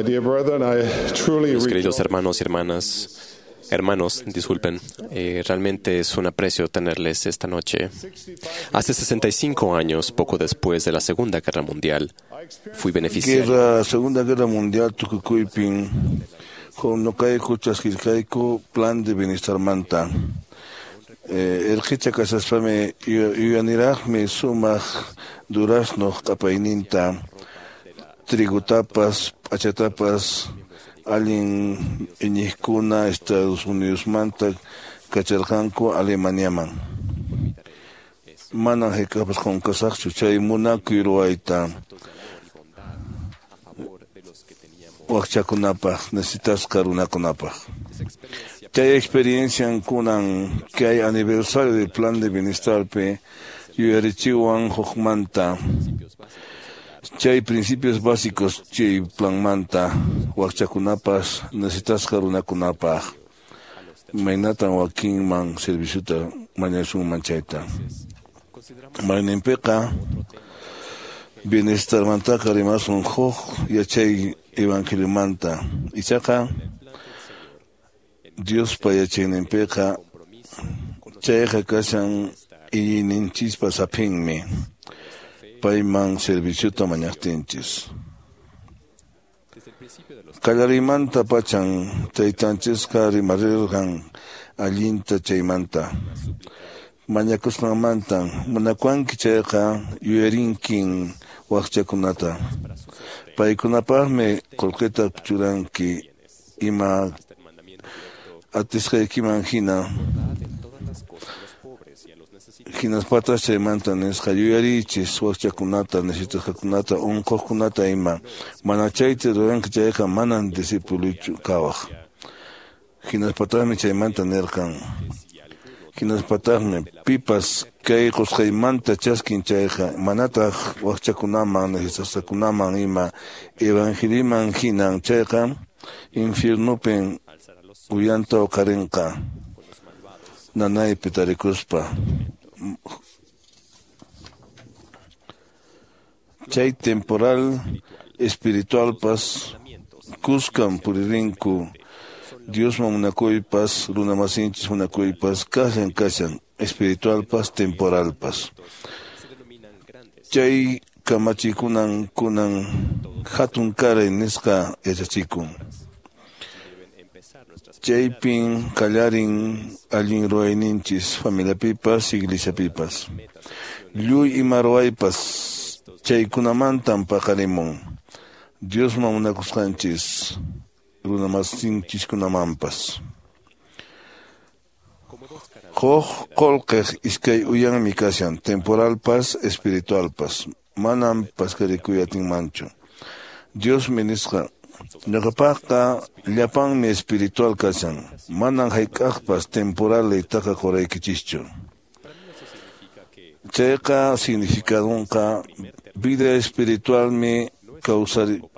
My dear brethren, I truly Mis queridos hermanos y hermanas, hermanos, disculpen, eh, realmente es un aprecio tenerles esta noche. Hace sesenta y cinco años, poco después de la Segunda Guerra Mundial, fui beneficiario. Guerra, Segunda Guerra Mundial tukukuypin huk ñuqayku chaskirqayku plan de bienestar manta. Eh, erqicha kashaspami yuyaniraqmi sumaq duraznoq q'apayninta, trigutapas, p'achatapas allin iñiqkuna Estados Unidosmanta kacharqanku Alemaniaman. Manan hayk'aqpas qunqasaqchu chay munakuy ruwayta wakchakunapaq, necesitasqa runakunapaq. Chay experiencia kunan kay aniversario del plan de bienestarpi yuyarichiwan hukmanta. Chay principios básicos chay planmanta wakchakunapas necesitasqa runakunapaq. Maynatan wakinman serviciota mañasunman chayta. Mayninpiqa bienestarmantaqa rimasun huk yachay evangeliomanta. Ichaqa Diospa yachayninpiqa chayqa kashan iñiyninchispa saphinmi payman serviciota mañaqtinchis. Qallarimanta pachan taytanchisqa rimarirqan allinta chaymanta. Mañakusqanmantan munakuwanki chayqa yuyarinkin wakchakunata. Paykunapaqmi qullqita churanki ima atisqaykiman hina. Hinaspatas chaymanta nisqa yuyarichis wakchakunata, necesitasqakunata, unquqkunata ima. Mana chayta ruranki chayqa manan discipulochu kawaq. Hinaspataqmi chaymanta nirqan. Hinaspataqmi pipas kay qusqaymanta chaskin chayqa manataq wakchakunaman, necesitasqakunaman ima evangeliman hinan chayqa infiernupin uyanta uqarinqa nanaypi tarikuspa. Chay temporal espiritualpas kuskan puririnku Diosman munakuypas, runamasinchis munakuypas, kashan kashan, espiritualpas, temporalpas. Chay kamachikunan kunan hatun karay nisqa yachachikun. Chaypin qallarin allin ruwayninchis familiapipas, iglesiapipas. Lluy ima ruwaypas chaykunamantan paqarimun. Diosman munakusqanchis runamasinchiskunamanpas. Huk qullqiq iskay uyanmi kashan, temporalpas, espiritualpas. Manam paskarikuy atinmanchu. Diosmi nisqa, ñuqapaqqa llapanmi espiritual kashan, manan hayk'aqpas temporal leytaqa quraykichischu. Chayqa significadunqa vida espiritualmi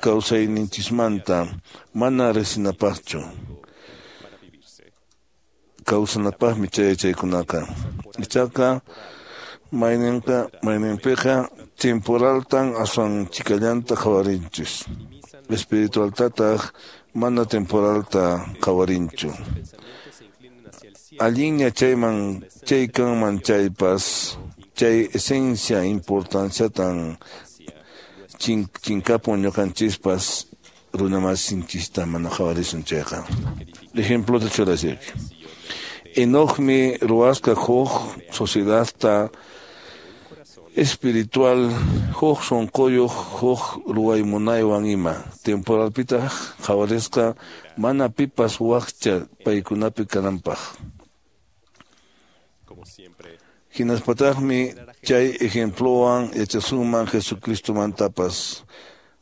kawsayninchismanta mana riqsinapaqchu. Kawsanapaqmi chay chaykunaqa. Ichaqa mayninqa mayninpiqa temporaltan aswan chikallanta qhawarinchis. Espiritualtataq mana temporalta qhawarinchu. Allinña chayman chay kanman chaypas chay esencia importanciatan chinkapun ñuqanchispas runamasinchista mana qhawarisun chayqa. Ejemplota churasiyki. Enocmi ruwasqa huk sociedadta espiritual huk sunquyuq huk ruway munaywan ima. Temporalpitaq qhawarisqa mana pipas wakcha paykunapi kananpaq. Hinaspataqmi chay ejemplowan yachasunman Jesucristomantapas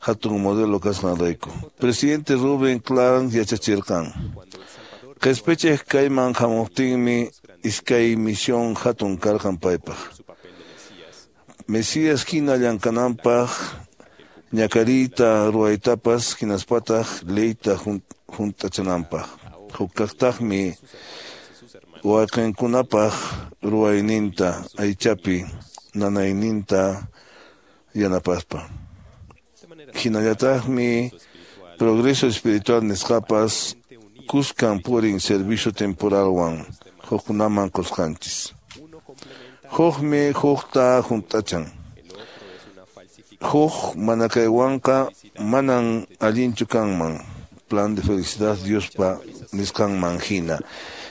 hatun modelo kasqanrayku. Presidente Rubén Clark yachachirqan. Qhispichiq kayman hamuqtinmi iskay misión hatun karqan paypaq. Mesías hina llamk'ananpaq ñakariyta ruwaytapas hinaspataq leyta hunt'achinanpaq. Hukkaqtaqmi wawqinkunapaq ruwayninta aychapi nanayninta yanapaspa. Hinallataqmi Progreso espiritual nisqapas kuskan purin servicio temporalwan hukkunaman qusqanchis. Hukmi hukta hunt'achan. Huk manakaywanqa manan allinchu kanman. Plan de felicidad Diospa nisqanman hina.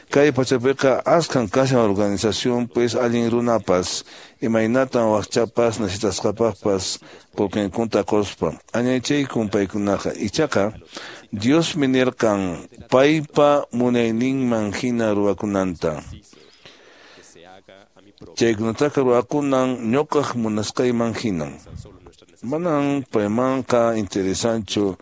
Kay pachapiqa askan kashan organización pues allin runapas imaynatan wakchapas necesitasqapaqpas qullqinkunta quspa añaychaykun paykunaqa. Ichaqa Diosmi nirqan paypa munayninman hina ruwakunanta. Chaykunataqa ruwakunan ñuqaq munasqayman hinan. Manan paymanqa interesanchu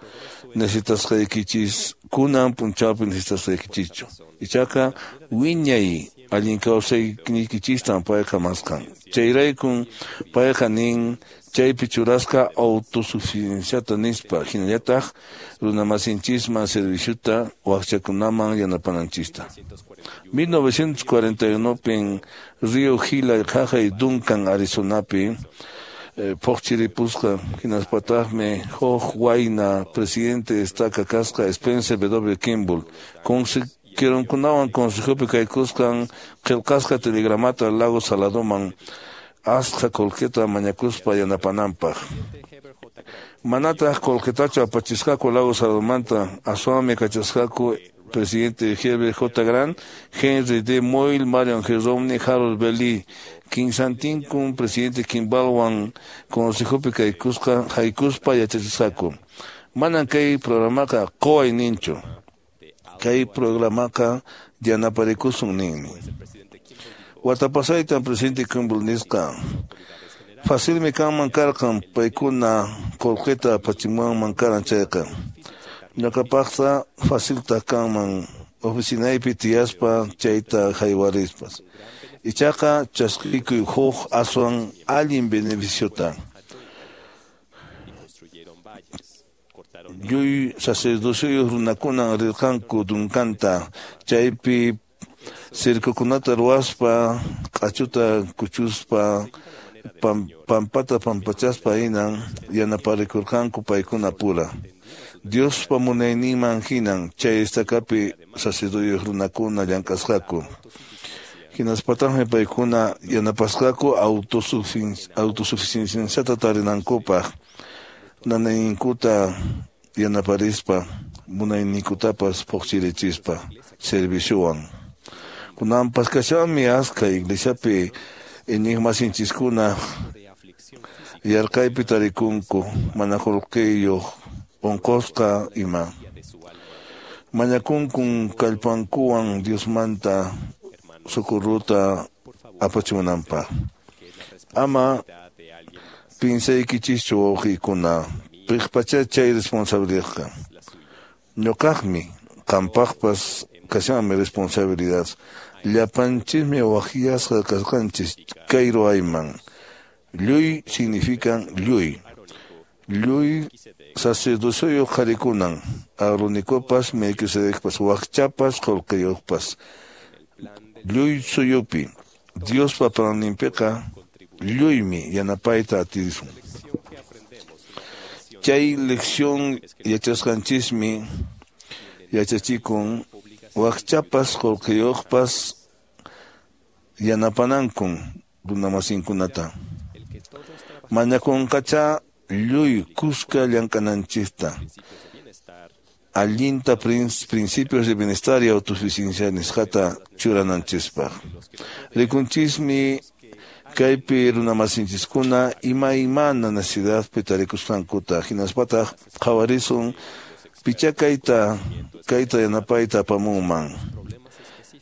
necesitasqaykichis kunan punchawpi necesitasqaykichischu. Ichaqa wiñay allin kawsayniykichistan payqa maskan. Chayraykun payqa nin chaypi churasqa autosuficienciata nispa hinallataq runamasinchisman serviciota wakchakunaman yanapananchista. mil novecientos cuarenta y uno pin Río Gila qhaqay Duncan, Arizonapi phuqchiripusqa hinaspataqmi huk wayna presidente estaca kasqa Spencer W. Kimball consejeronkunawan consejopi kaykusqan qillqasqa telegramata Lago Saladoman asqa qullqita mañakuspa yanapananpaq. Manataq qullqitachu apachisqaku Lago Saladomanta aswanmi kachasqaku presidente Herbert J. Grant, Henry D. Moyle, Marion G. Romney, Harold B. Lee, kinsantinkun presidente Kimballwan consejopi kaykusqa haykuspa yachachisqaku. Manan kay programaqa quway ninchu. Kay programaqa yanaparikusun ninmi. Wata pasaytan presidente Kimball nisqa facilmi kanman karqan paykuna qullqita apachimuwanman karan chayqa. Ñuqapaqqa faciltaq kanman oficinaypi tiyaspa chayta haywarispas. Ichaqa chaskikuy huk aswan allin beneficiota. Lluy sacerdocioyuq runakunan rirqanku Duncanta chaypi circokunata ruwaspa q'achuta kuchuspa pampata pampachaspa hinan yanaparikurqanku paykuna pura. Diospa munayninman hinan chay estacapi sacerdocioyuq runakuna llank'asqaku. Hinaspataqmi paykuna yanapasqaku autosuficienciata tarinankupaq nanayninkuta yanaparispa munayninkutapas phuqchirichispa serviciowan. Kunanpas kashanmi askha iglesiapi iñiqmasinchiskuna yarqaypi tarikunku mana qullqiyuq unqusqa ima. Mañakunkun kallpankuwan Diosmanta socorruta apachimunanpaq. Ama pinsaykichischu wawqiykuna piqpacha chay responsabilidadqa. Ñuqaqmi qampaqpas kashanmi responsabilidad. Llapanchismi waqyasqa kasqanchis kay ruwayman. Lluy significan lluy. Lluy sacerdocioyuq qharikunan, Aaronikupas, Melquisedecpas, wakchapas, qullqiyuqpas. Lluy suyupi Diospa planinpiqa lluymi yanapayta atisun. Chay lección yachasqanchismi yachachikun wakchapas qullqiyuqpas yanapanankun runamasinkunata. Mañakunqacha lluy kuska llank'ananchista. Allinta principios de bienestar y autosuficiencia nisqata churananchispaq. Rikunchismi kaypi runamasinchiskuna imaymana necesidadpi tarikusqankuta hinaspataq qhawarisun picha kayta kayta yanapayta apamunman.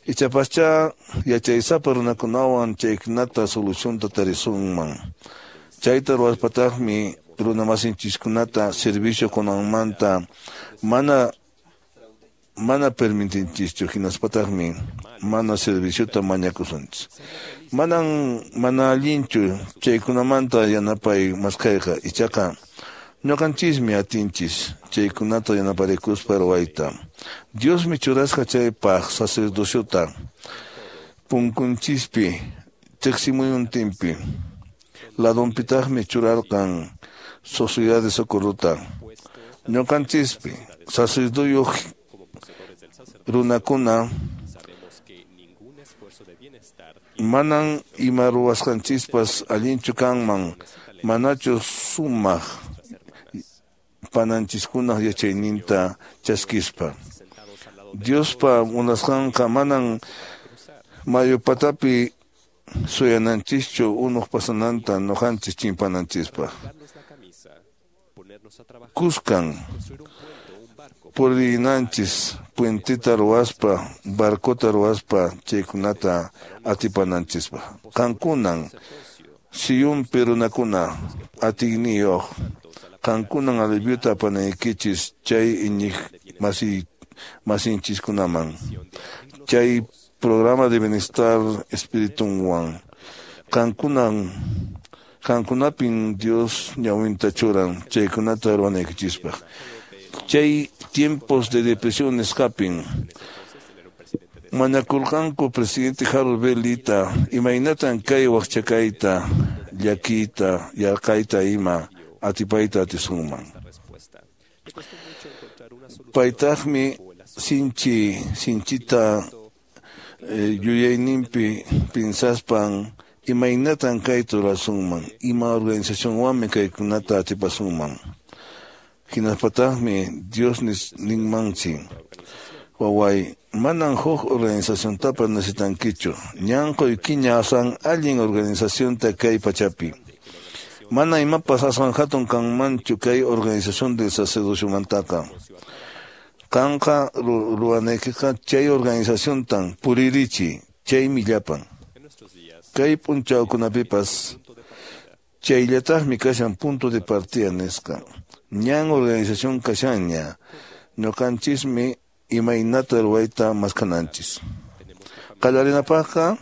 Ichapascha yachaysapa runakunawan chaykunata solucionta tarisunman. Chayta ruwaspataqmi runamasinchiskunata servicio kunanmanta mana mana permitinchischu hinaspataqmi mana serviciota mañakusunchis. Manan mana allinchu chaykunamanta yanapay maskhayqa ichaqa ñuqanchismi atinchis chaykunata yanaparikuspa ruwayta. Diosmi churasqa chaypaq sacerdociota punkunchispi tiqsimuyuntinpi ladonpitaqmi churarqan sociedad de socorruta. Ñuqanchispi Sacerduyuq runakuna manan ima ruwasqanchispas allinchu kanman manachu sumaq pananchiskunaq yachayninta chaskispa. Diospa munasqanqa manan mayu patapi suyananchischu unuq pasananta nuqanchis chimpananchispaq. Kuskan purinanchis puenteta ruwaspa, barcota ruwaspa chaykunata atipananchispaq. Qankunan Siyunpi runakuna atiyniyuq, qankunan aliviota apanaykichis chay iñiq masi masinchiskunaman. Chay programa de bienestar espiritunwan. Qankunan qankunapin Dios ñawinta churan chaykunata ruwanaykichispaq. Chay tiempos de depresión nisqapin mañakurqanku presidente Harold B. Lita imaynatan kay waqchakayta, llakiyta, yarqayta ima atipayta atisunman. Paytaqmi sinchi sinchita eh, yuyayninpi pinsaspan imaynatan kayta rurasunman, ima organizacionwanmi kaykunata atipasunman. Hinaspataqmi Dios ninmansi, waway, manan huk organizaciontapas necesitankichu, ñan quykiña aswan allin organizacionta kay pachapi. Mana imapas aswan hatun kanmanchu kay organización del sacerdociomantaqa. Qanqa ruwanaykiqa chay organizaciontan puririchi, chaymi llapan. Kay p'unchawkunapipas chayllataqmi kashan punto de partida nisqa. Ñan organización kashanña, ñuqanchismi imaynata ruwayta maskananchis. Qallarinapaqqa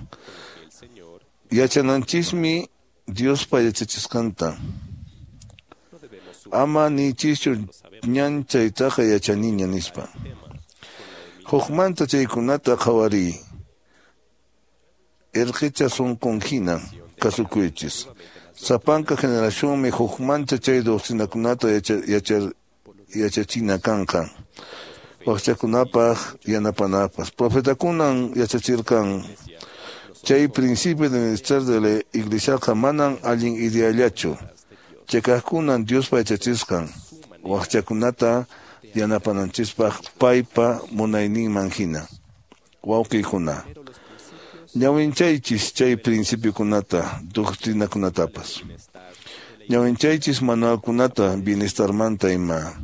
yachananchismi Diospa yachachisqanta. Ama niychischu ñan chaytaqa yachaniña nispa. Hukmanta chaykunata qhawariy. Irqicha sunqun hina kasukuychis. Sapanka generacionmi hukmanta chay doctrinakunata yacha, yachachina kanqa. Waqchakunapaq yanapanapaq. Profetakunan yachachirqan chay principio de bienestar de la iglesiaqa manan allin ideallachu. Chakaqkunan Diospa yachachisqan waqchakunata yanapananchispaq paypa munayninman hina. Wawqiykuna, ñawinchaychis chay principiokunata, doctrinakunatapas. Ñawinchaychis manualkunata bienestarmanta ima.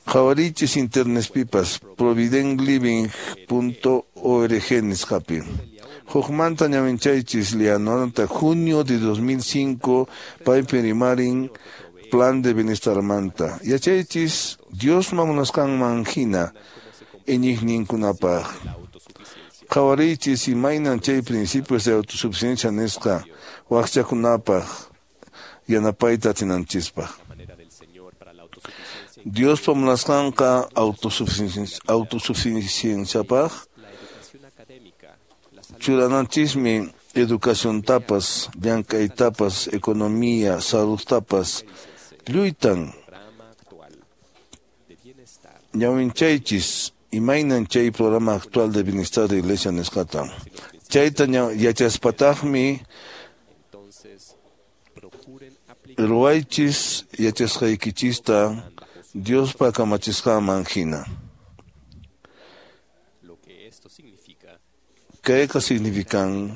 Qhawarichis internetpipas provident living punto org nisqapi. Hukmanta ñawinchaychis lianonata junio de dos mil cinco paypi rimarin plan de bienestarmanta. Yachaychis Diosma munasqanman hina iñiqninkunapaq. Qhawarichis imaynan chay principios de autosuficiencia nisqa waqchakunapaq yanapayta atinanchispaq. Diospa munasqanqa autosuficienciapaq churananchismi educaciontapas, llank'aytapas, economía, saludtapas, lluytan ñawinchaychis imaynan chay programa actual de bienestar de iglesia nisqata. Chayta yachaspataqmi ruwaychis yachasqaykichista Diospa kamachisqanman hina. Kayqa significan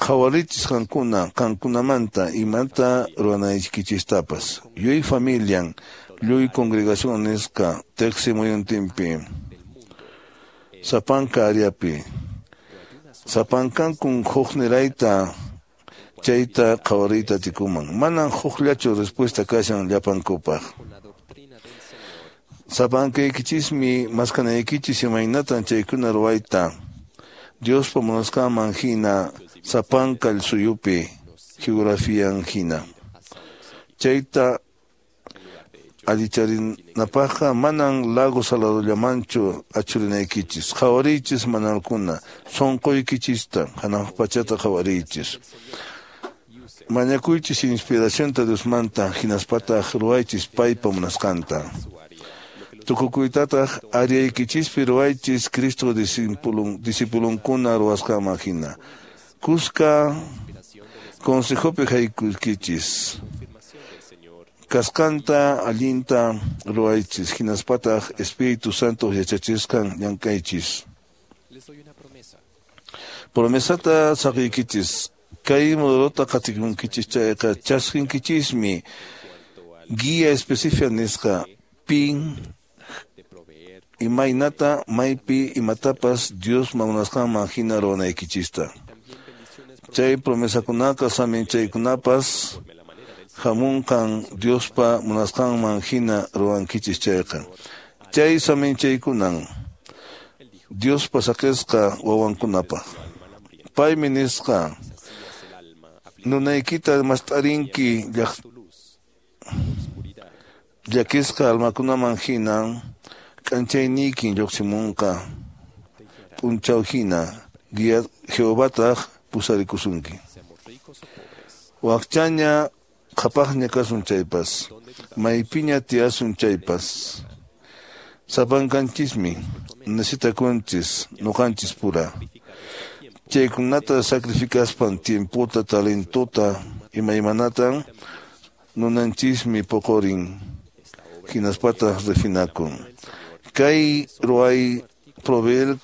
qhawarichis qankuna qankunamanta imata ruwanaykichistapas. Lluy familian, lluy congregación nisqa teqsi muyuntinpi, sapanka áreapi, sapankankun huknirayta chayta qhawariyta atikuman. Manan hukllachu respuesta kashan llapankupaq. Sapankaykichismi maskanaykichis imaynatan chaykuna ruwayta Diospa munasqanman hina sapanka suyupi geografian hina. Chayta allicharinapaqqa manan lago saladollamanchu achurinaykichis. Qhawariychis manualkuna, sunquykichista hanaq pachata qhawariychis. Mañakuychis inspiracionta Diosmanta hinaspataq ruwaychis paypa munasqanta. Tukukuytataq ariyaykichispi ruwaychis Cristo discipulun, discipulonkuna ruwasqanman hina. Kuska consejopi haykuykichis. Kasqanta allinta ruwaychis hinaspataq Espíritu Santo yachachisqan llank'aychis. Promesata saqiykichis. Kay modelota qatikunkichis chayqa chasqinkichismi guía específica nisqa pin imaynata maypi imatapas Dios munasqanman hina ruwanaykichista. Chay promesakunaqa saminchaykunapas hamunqan Diospa munasqanman hina ruwankichis chayqa. Chay saminchaykunan Diospa saqisqa wawankunapaq. Paymi nisqa nunaykita mast'arinki llakisqa almakunaman hina k'anchayniykin lluqsimunqa p'unchaw hina guía Jehovataq pusarikusunki. Wakchaña qhapaqña kasun chaypas, maypiña tiyasun chaypas, sapankanchismi necesitakunchis nuqanchis pura. Chaykunata sacrificaspan tiempota, talentota, imaymanatan nunanchismi poqorin hinaspataq refinakun. Kay ruway proveer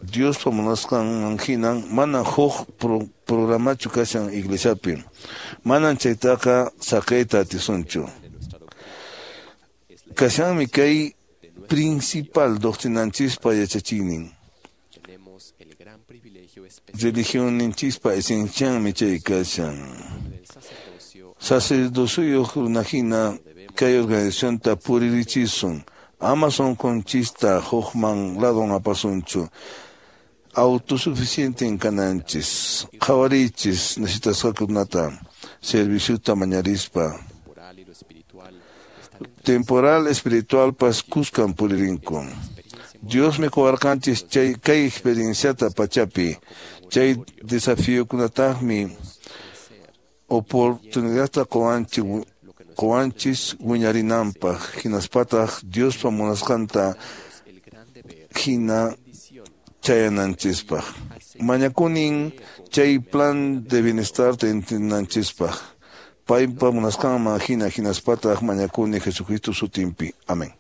Diospa munasqanman hinan mana huk pro, programachu kashan iglesiapi. Manan chaytaqa saqiyta atisunchu. Kashanmi kay principal doctrinanchispa yachachiynin. Religionninchispa esencianmi chay kashan. Sacerdociyuq runahina kay organizacionta puririchisun. Ama sunqunchista hukman ladon apasunchu. Autosuficiente kananchis. Qhawarichis necesitasqakunata serviciota mañarispa. Temporal espiritualpas kuskan puririnku. Dios me qowarqanchis chay kay experienciata pachapi. Chay desafiokunataqmi oportunidadta qowanchis qowanchis wiñarinanpaq hinaspataq Diospa munasqanta hina chayananchispaq. Mañakunin chay plan de bienestar entiendanchispaq. Paypa munasqanman hina hinaspataq mañakuni Jesucristo sutinpi. Amén.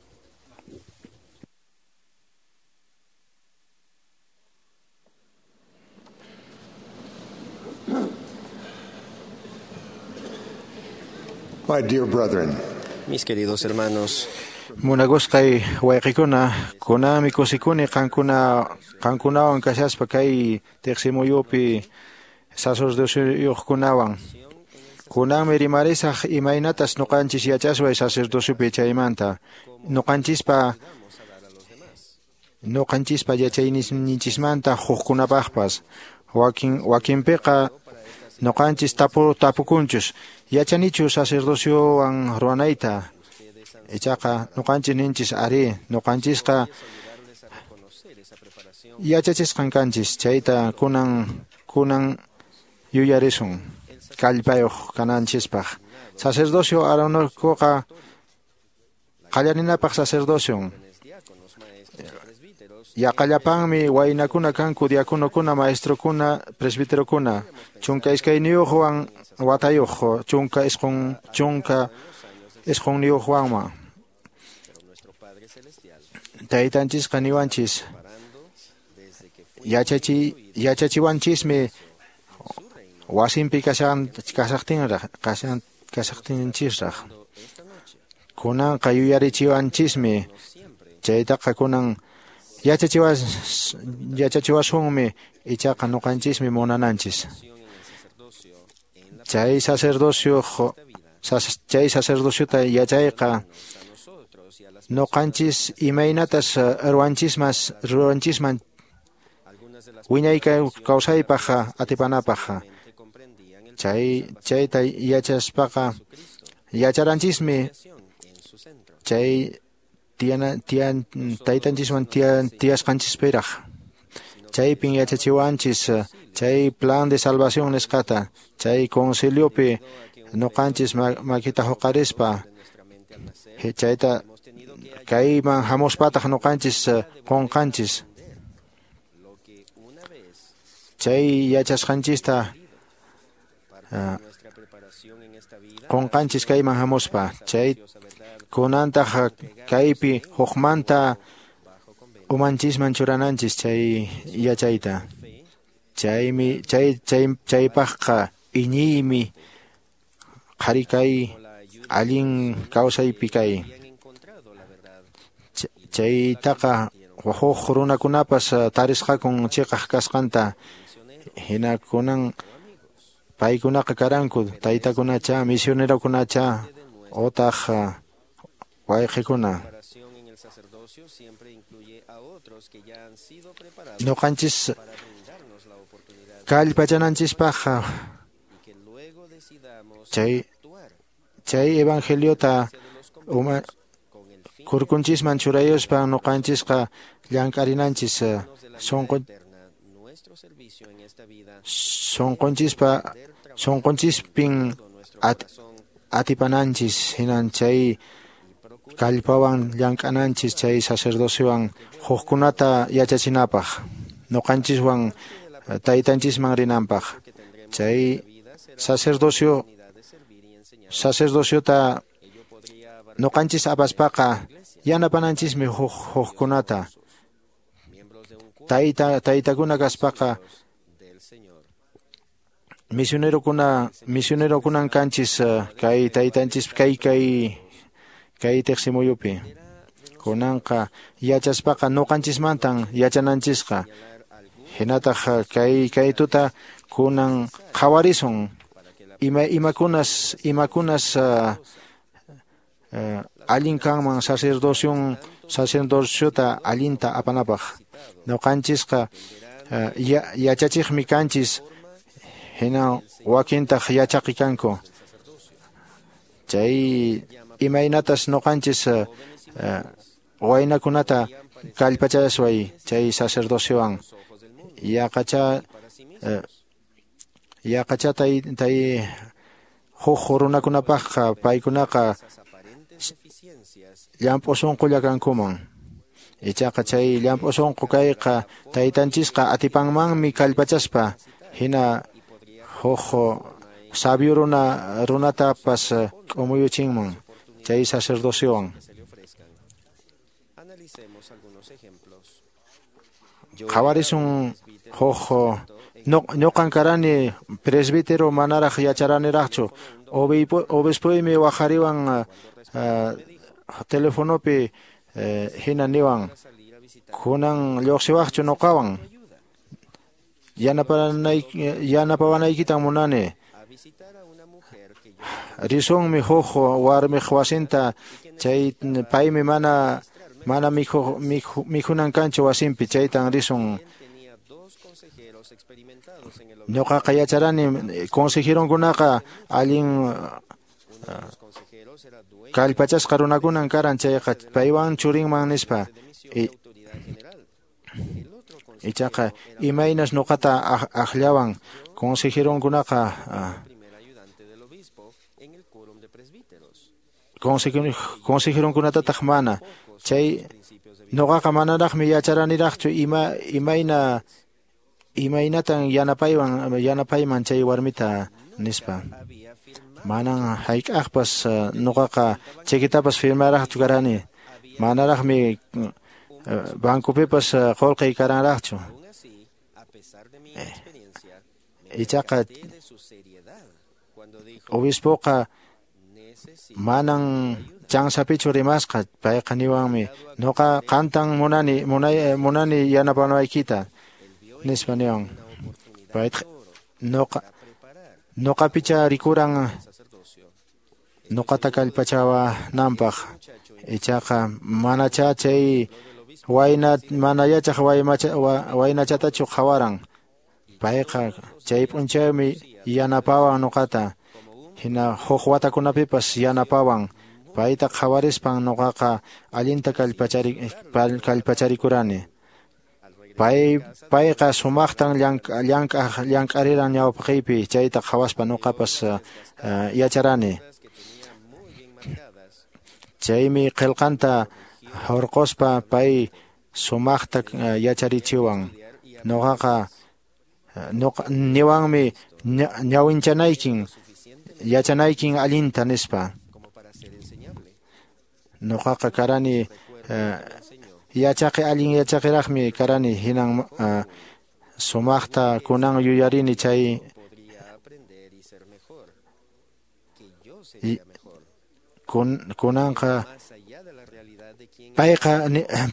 My dear brethren, mis queridos hermanos, Munakusqay wayqikuna, kunami kusikuni qankuna qankunawan kashaspa kay tiqsimuyupi sacerdocioyuqkunawan. Kunanmi rimarisaq imaynatas nuqanchis yachasway sacerdociopi chaymanta. Nuqanchispa nuqanchispa yachayninchismanta hukkunapaqpas. Wakin wakinpiqa nuqanchis tapu tapukunchus yachanichu sacerdociowan ruwanayta. Ichaqa nuqanchis ninchis ari nuqanchisqa yachachisqan kanchis chayta kunan kunan yuyarisun kallpayuq kananchispaq. Sacerdocio aronikuqa qallarinapaq sacerdocion. Yaqallapanmi waynakuna kanku diaconokuna, maestrokuna, presbiterokuna. Chunka iskayniyuqwan watayuq, chunka isqun chunka isqunniyuqwanma. Taytanchisqa niwanchis yachachi yachachiwanchismi wasinpi kashan kashaqtinraq kashan kashaqtinchisraq. Kunanqa yuyarichiwanchismi chaytaqa kunan yachachiwas yachachiwasunmi ichaqa nuqanchismi munananchis. Chay sacerdocio chay sacerdociota yachayqa nuqanchis imaynatas ruwanchismas ruwanchisman wiñay kawsaypaq atipanapaq. Chay chayta yachaspaqa yacharanchismi chay tiana tian taytanchiswan tian tiyasqanchispiraq. Chaypin yachachiwanchis chay plan de salvación nisqata, chay conciliopi nuqanchis makita huqarispa chayta kayman hamuspataq nuqanchis qunqanchis. Chay yachasqanchista qunqanchis kayman hamuspa. Chay kunantaq kaypi hukmanta umanchisman churananchis chay yachayta. Chaymi chay chay chaypaqqa iñiymi qhari kay allin kawsaypi kay. Chaytaqa huk runakunapas tarisqakun chiqaq kasqanta. Hina kunan paykunaqa karanku taytakunacha misionerokunacha otaq wayqikuna. Nuqanchis kallpachananchispaqqa chay chay evangeliota uma kurkunchisman churayuspa nuqanchisqa llank'arinanchis sunqu sunqunchispa sunqunchispin at, atipananchis. Hinan chay kallpawan llank'ananchis chay sacerdociowan hukkunata yachachinapaq nuqanchiswan taytanchisman rinanpaq. Chay sacerdocio sacerdociota nuqanchis apaspaqa yanapananchismi huk hukkunata. Tayta taytakuna kaspaqa misionerokuna misionerokunan kanchis kay taytanchis kay kay kay tiqsimuyupi. Kunanqa yachaspaqa nuqanchismantan yachananchisqa. Hinataq kay kay tuta kunan qhawarisun ima imakunas imakunas uh, uh, allin kanman sacerdocion sacerdociota allinta apanapaq. Nuqanchisqa uh, ya, yachachiqmi kanchis, hina wakintaq yachaqi kanku. Chay imaynatas nuqanchis uh, uh, waynakunata kallpachasway chay sacerdociowan. Yaqacha uh, yaqacha tay tay huk runakunapaqqa paykunaqa llamp'u sunqulla kankuman. Ichaqa chay llamp'u sunqu kayqa taytanchisqa atipanmanmi kallpachaspa hina huk sabio runa runatapas k'umuyuchinman chay sacerdociowan. Qhawarisun huk ñuqan karani presbítero manaraq yacharaniraqchu. Obispuymi waqhariwan uh, telefonopi uh, hina niwan kunan lluqsiwaqchu nuqawan yanapawanaykitan munani. Risunmi huk warmiq wasinta chay paymi mana mana mikhu mikhunan kanchu wasinpi chaytan risun. Ñuqaqa yacharani consejeronkunaqa allin kallpachasqa runakunan karan chayqa paywan churinman nispa. Ichaqa imaynas ñuqata aqllawan consejeronkunaqa consejeronkunatataq mana. Chay ñuqaqa manaraqmi yacharaniraqchu ima imayna imaynatan yanapaywan yanapayman chay warmita nispa. Manan hayk'aqpas ñuqaqa chequetapas firmaraqchu karani. Manaraqmi bancopipas qullqiy karanraqchu. Ichaqa obispoqa manan chansapichu rimasqa. Payqa niwanmi ñuqa qantan munani munay munani yanapanaykita nispa niwan. Paytaq ñuqa ñuqapicha rikuran ñuqata kallpachawananpaq. Ichaqa manacha chay wayna mana yachaq waynachatachu qhawaran. Payqa chay p'unchaymi yanapawan ñuqata. Hina huk watakunapipas yanapawan. Payta qhawarispan ñuqaqa allinta kallpachari kallpacharikurani. Pay payqa sumaqtan llank'aq llank'ariran ñawpaqiypi, chayta qhawaspa nuqapas uh, yacharani. Chaymi qillqanta hurquspa pay sumaqta yacharichiwan. Nuqaqa nuqa niwanmi ñawinchanaykin yachanaykin allinta nispa. Nuqaqa karani uh, yachaqi allin yachaqiraqmi karani, hinan uh, sumaqta kunan yuyarini chay kun, kunanqa payqa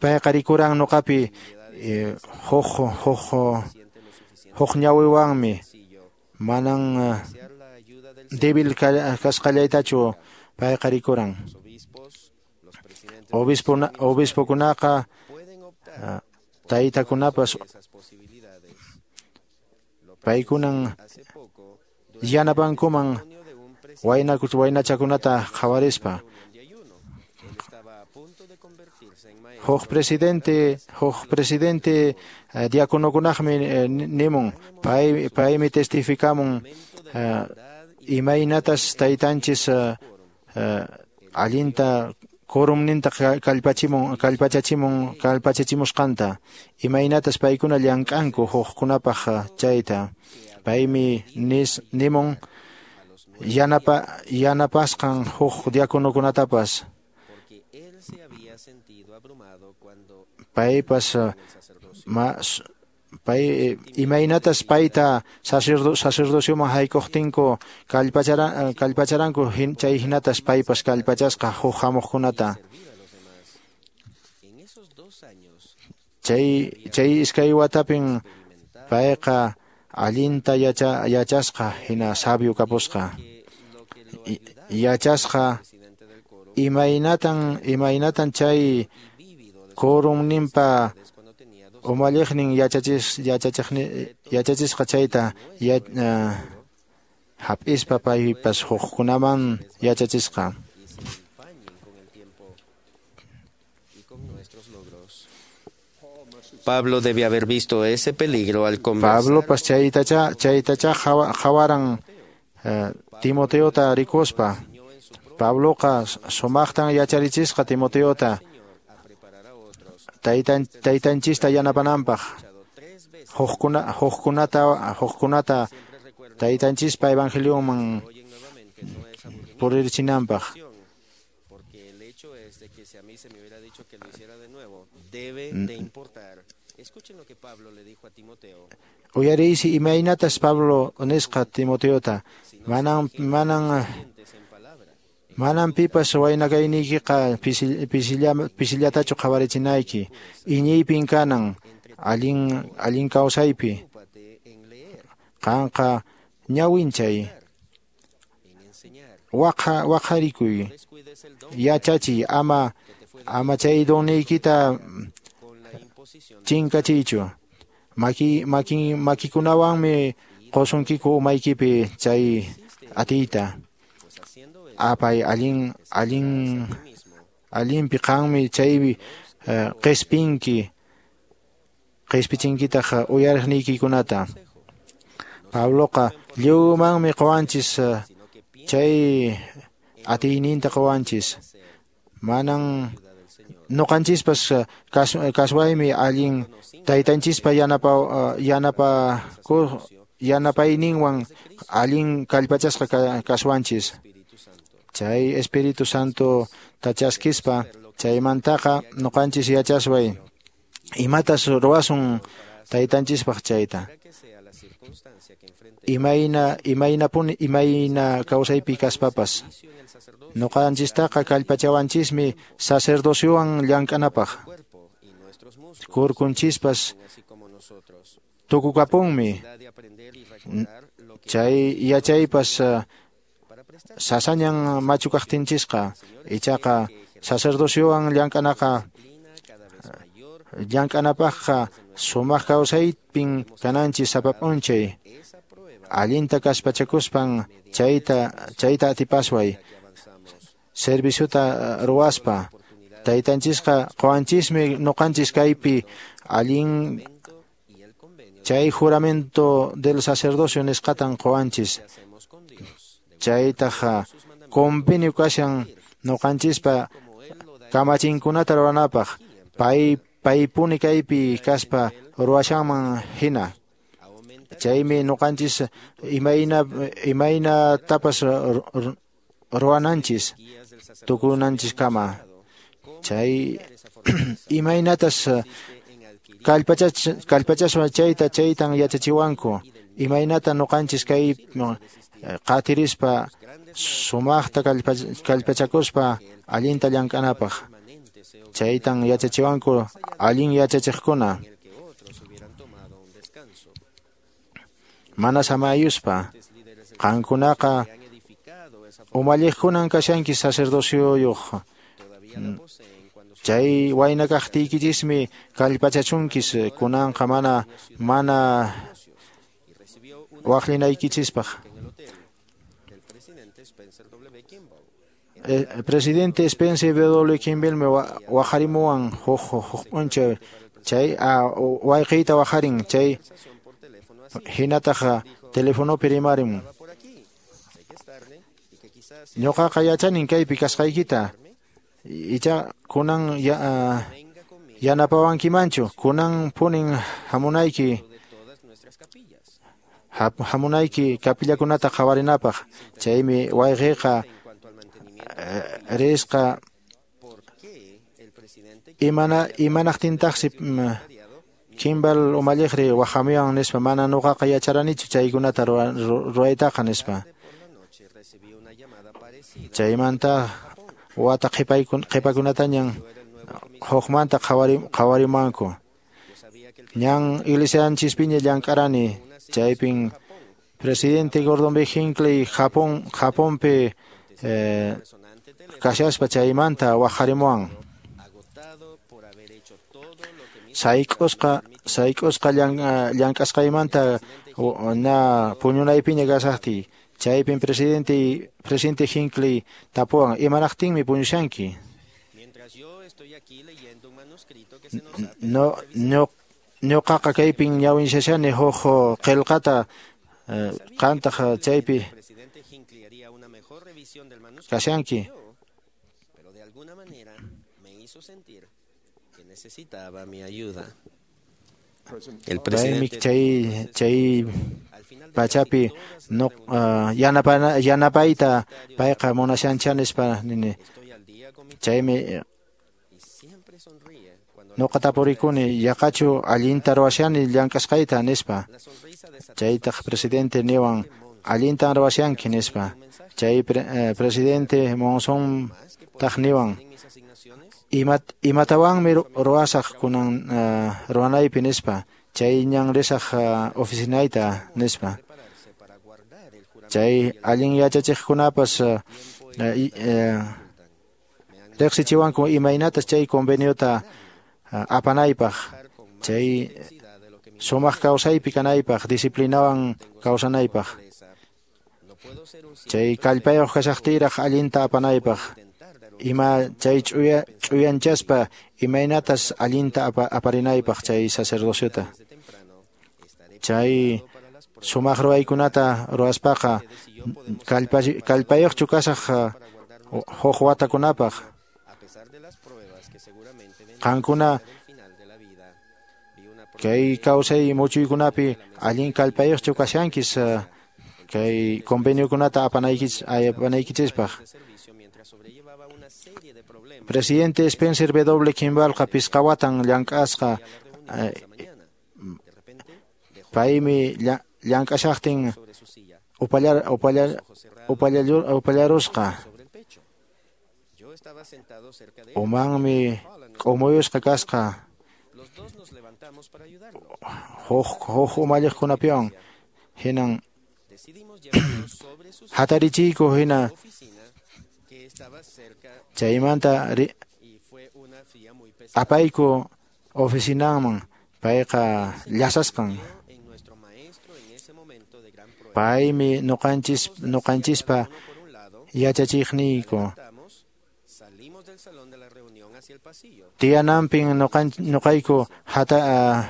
payqa rikuran nuqapi eh, huk huk huk ñawiwanmi, manan uh, débil kasqallaytachu payqa rikuran. Obispo obispokunaqa uh, taytakunapas paykunan yanapankuman waynakus waynachakunata qhawarispa. Huk presidente huk presidente uh, diakonokunaqmi uh, nimun pay paymi testificamun uh, imaynatas taytanchis uh, uh, allinta quorumninta kallpachimun kallpachachimun kallpachachimusqanta, imaynatas paykuna llank'anku hukkunapaq chayta. Paymi nis nimun yanapa yanapasqan huk diakonokunatapas. Paypas ma pay imaynatas payta sacerdo sacerdocioman haykuqtinku kallpacharan kallpacharanku chay hinatas paypas kallpachasqa huk hamuqkunata. Chay chay iskay watapin payqa allinta yacha yachasqa hina sabio kapusqa. Yachasqa imaynatan imaynatan chay quorumninpa umalliqnin yachachis yachachiqni yachachisqa chayta ya, uh, hap'ispa paypas hukkunaman yachachisqa. Pablo debe haber visto ese peligro al conversar. Pablopas chaytacha chaytacha qhawaran uh, Timoteota rikuspa. Pabloqa sumaqtan yacharichisqa Timoteota taytan taytanchista yanapananpaq, hukkuna hukkunata hukkunata taytanchispa evangelioman purirchinanpaq. Uyariysi imaynatas Pablo nisqa Timoteota, manan manan manan pipas waynakayniykiqa pisillatachu qhawarichinayki, iñiypin kanan allin allin kawsaypi. Qanqa ñawinchay, waqa waqharikuy, yachachiy, ama ama chay donniykita chinkachiychu. Maki maki makikunawanmi qusunkiku umaykipi chay atiyta. Apay allin allin allinpi qanmi chaypi uh, qispinki qispichinkitaq uyariqniykikunata. Pabloqa lliwmanmi quwanchis uh, chay atiyninta quwanchis. Manan nuqanchispas uh, kas, kaswaymi allin taytanchispa yanapa uh, yanapa yanapayninwan allin kallpachasqa kaswanchis. Chay Espíritu Santo tachaskispa chaymantaqa nuqanchis yachasway imatas ruwasun taytanchispaq chayta. Imayna imaynapuni imayna kawsaypi kaspapas nuqanchistaqa kallpachawanchismi sacerdociowan llank'anapaq. Kurkunchispas tukukapunmi chay yachaypas uh, sasañan machu kaqtinchisqa, ichaqa sacerdociowan llank'anaqa llank'anapaqqa sumaq kawsaypin kananchis sapa p'unchay. Allinta kaspachakuspan chayta chayta atipasway serviciota ruwaspa. Taytanchisqa quwanchismi nuqanchis kaypi allin Chay juramento del sacerdocio nisqatan qowanchis. Chaytaq convenio kashan noqanchispa kamachinkunata ruwanapaq pay paypuni kaypi kaspa ruwashanman hina. Chaymi noqanchis imayna imayna tapas ruwananchis tukunanchis kama. Chay imaynatas kallpachas kallpachaswan chayta chaytan yachachiwanku imaynata noqanchis kay qatirispa sumaqta kallpachakuspa allinta llank'anapaq. Chaytan yachachiwanku allin yachachiqkuna mana samayuspa. Qankunaqa umalliqkunan kashanki sacerdocioyuq. Chay wayna kaqtiykichismi kallpachachunkis kunanqa mana mana waqlinaykichispaq. Eh, presidente Spencer W. Kimball me waqarimuwan huk huk p'unchay chay wayqiyta waqarin chay hinataq telefonopi rimarin. Ñuqaqa yachanin kaypi kasqaykita icha kunan ya, uh, yanapawankimanchu kunan punin hamunayki hamunayki kapillakunata qhawarinapaq. Chaymi wayqiyqa risqa imana imanaqtintaqsi Kimball umalliqri waqamiwan nispa mana nuqaqa yacharanichu chaykunata ruwaytaqa nispa. Chaymanta wata qhipakunatañan hukmanta qhawarimanku. Ñan iglesianchispiña llank'arani chaypin presidente Gordon B. Hinckley Japón Japonpi eh, kashaspa chaymanta waqarimuwan. Sayk'usqa sayk'usqa llank'asqaymanta na puñunaypiña kasaqtiy chaypin presidente presidente Hinckley tapuwan imanaqtinmi puñushanki. No no ñuqaqa kaypin ñawinchashani huk qillqata qantaq chaypi kashanki. Necesitaba mi ayuda. El presidente chay chay pachapi no uh, yanapana yanapayta payqa munashancha nispa nini. Chaymi nuqa tapurikuni yaqachu allinta ruwashani llank'asqayta nispa. Chaytaq presidente niwan allintan ruwashanki nispa. Chay pre, eh, presidente Monson taq niwan Imat, imatawanmi ruwasaq kunan uh, ruwanaypi nispa. Chay ñan risaq uh, oficinayta nispa. Chay allin yachachiqkunapas uh, uh, riqsichiwanku imaynatas chay conveniota uh, apanaypaq. Chay sumaq kawsaypi kanaypaq, disciplinawan kawsanaypaq. Chay kallpayuq kashaqtiyraq allinta apanaypaq. Ima chay ch'uya ch'uyanchaspa imaynatas allinta apa, aparinaypaq chay sacerdociota. Chay sumaq ruwaykunata ruwaspaqa kallpayuqchu kasaq huk watakunapaq. Qankuna kay kawsay muchuykunapi allin kallpayuqchu kashankis kay conveniokunata apanaykichis apanaykichispaq. Presidente Spencer W. Kimballqa pisqa watan llank'asqa paymi llank'ashaqtin upallar upallar upallarusqa. Umanmi k'umuyusqa kasqa huk huk umalliqkunapiwan hinan hatarichiyku hina. Chaymanta apayku oficinanman payqa llasasqan. Paymi nuqanchis nuqanchispa yachachiqniyku. Tiyananpin nuqayku hata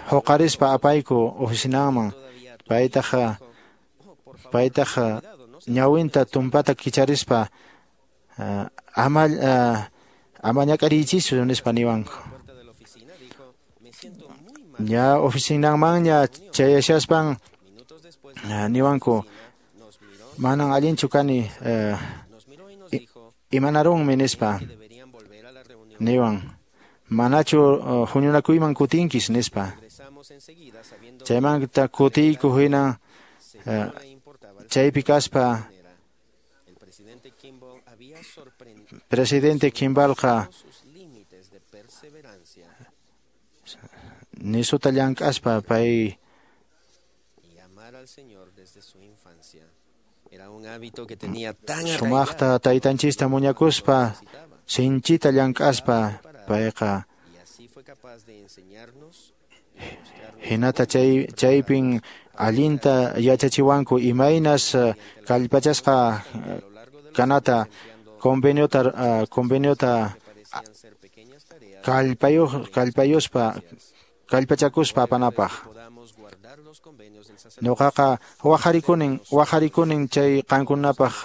huqarispa apayku oficinanman. Paytaq paytaq ñawinta tumpata kicharispa ama ama ñak'ariychichu nispa niwanku. Ña oficinanmanña chayashaspan niwanku manan allinchu kani imanarunmi nispa niwan. Manachu huñunakuyman kutinkis nispa. Chaymanta kutiyku hina chaypi kaspa presidente Kimbalqa nisuta llank'aspa pay sumaqta taytanchista muñakuspa sinchita llank'aspa payqa hinata chay chaypin allinta yachachiwanku imaynas kallpachasqa kanata conveniota conveniota kallpayuq kallpayuspa kallpachakuspa apanapaq. Nuqaqa waqharikunin waqharikunin chay qankunapaq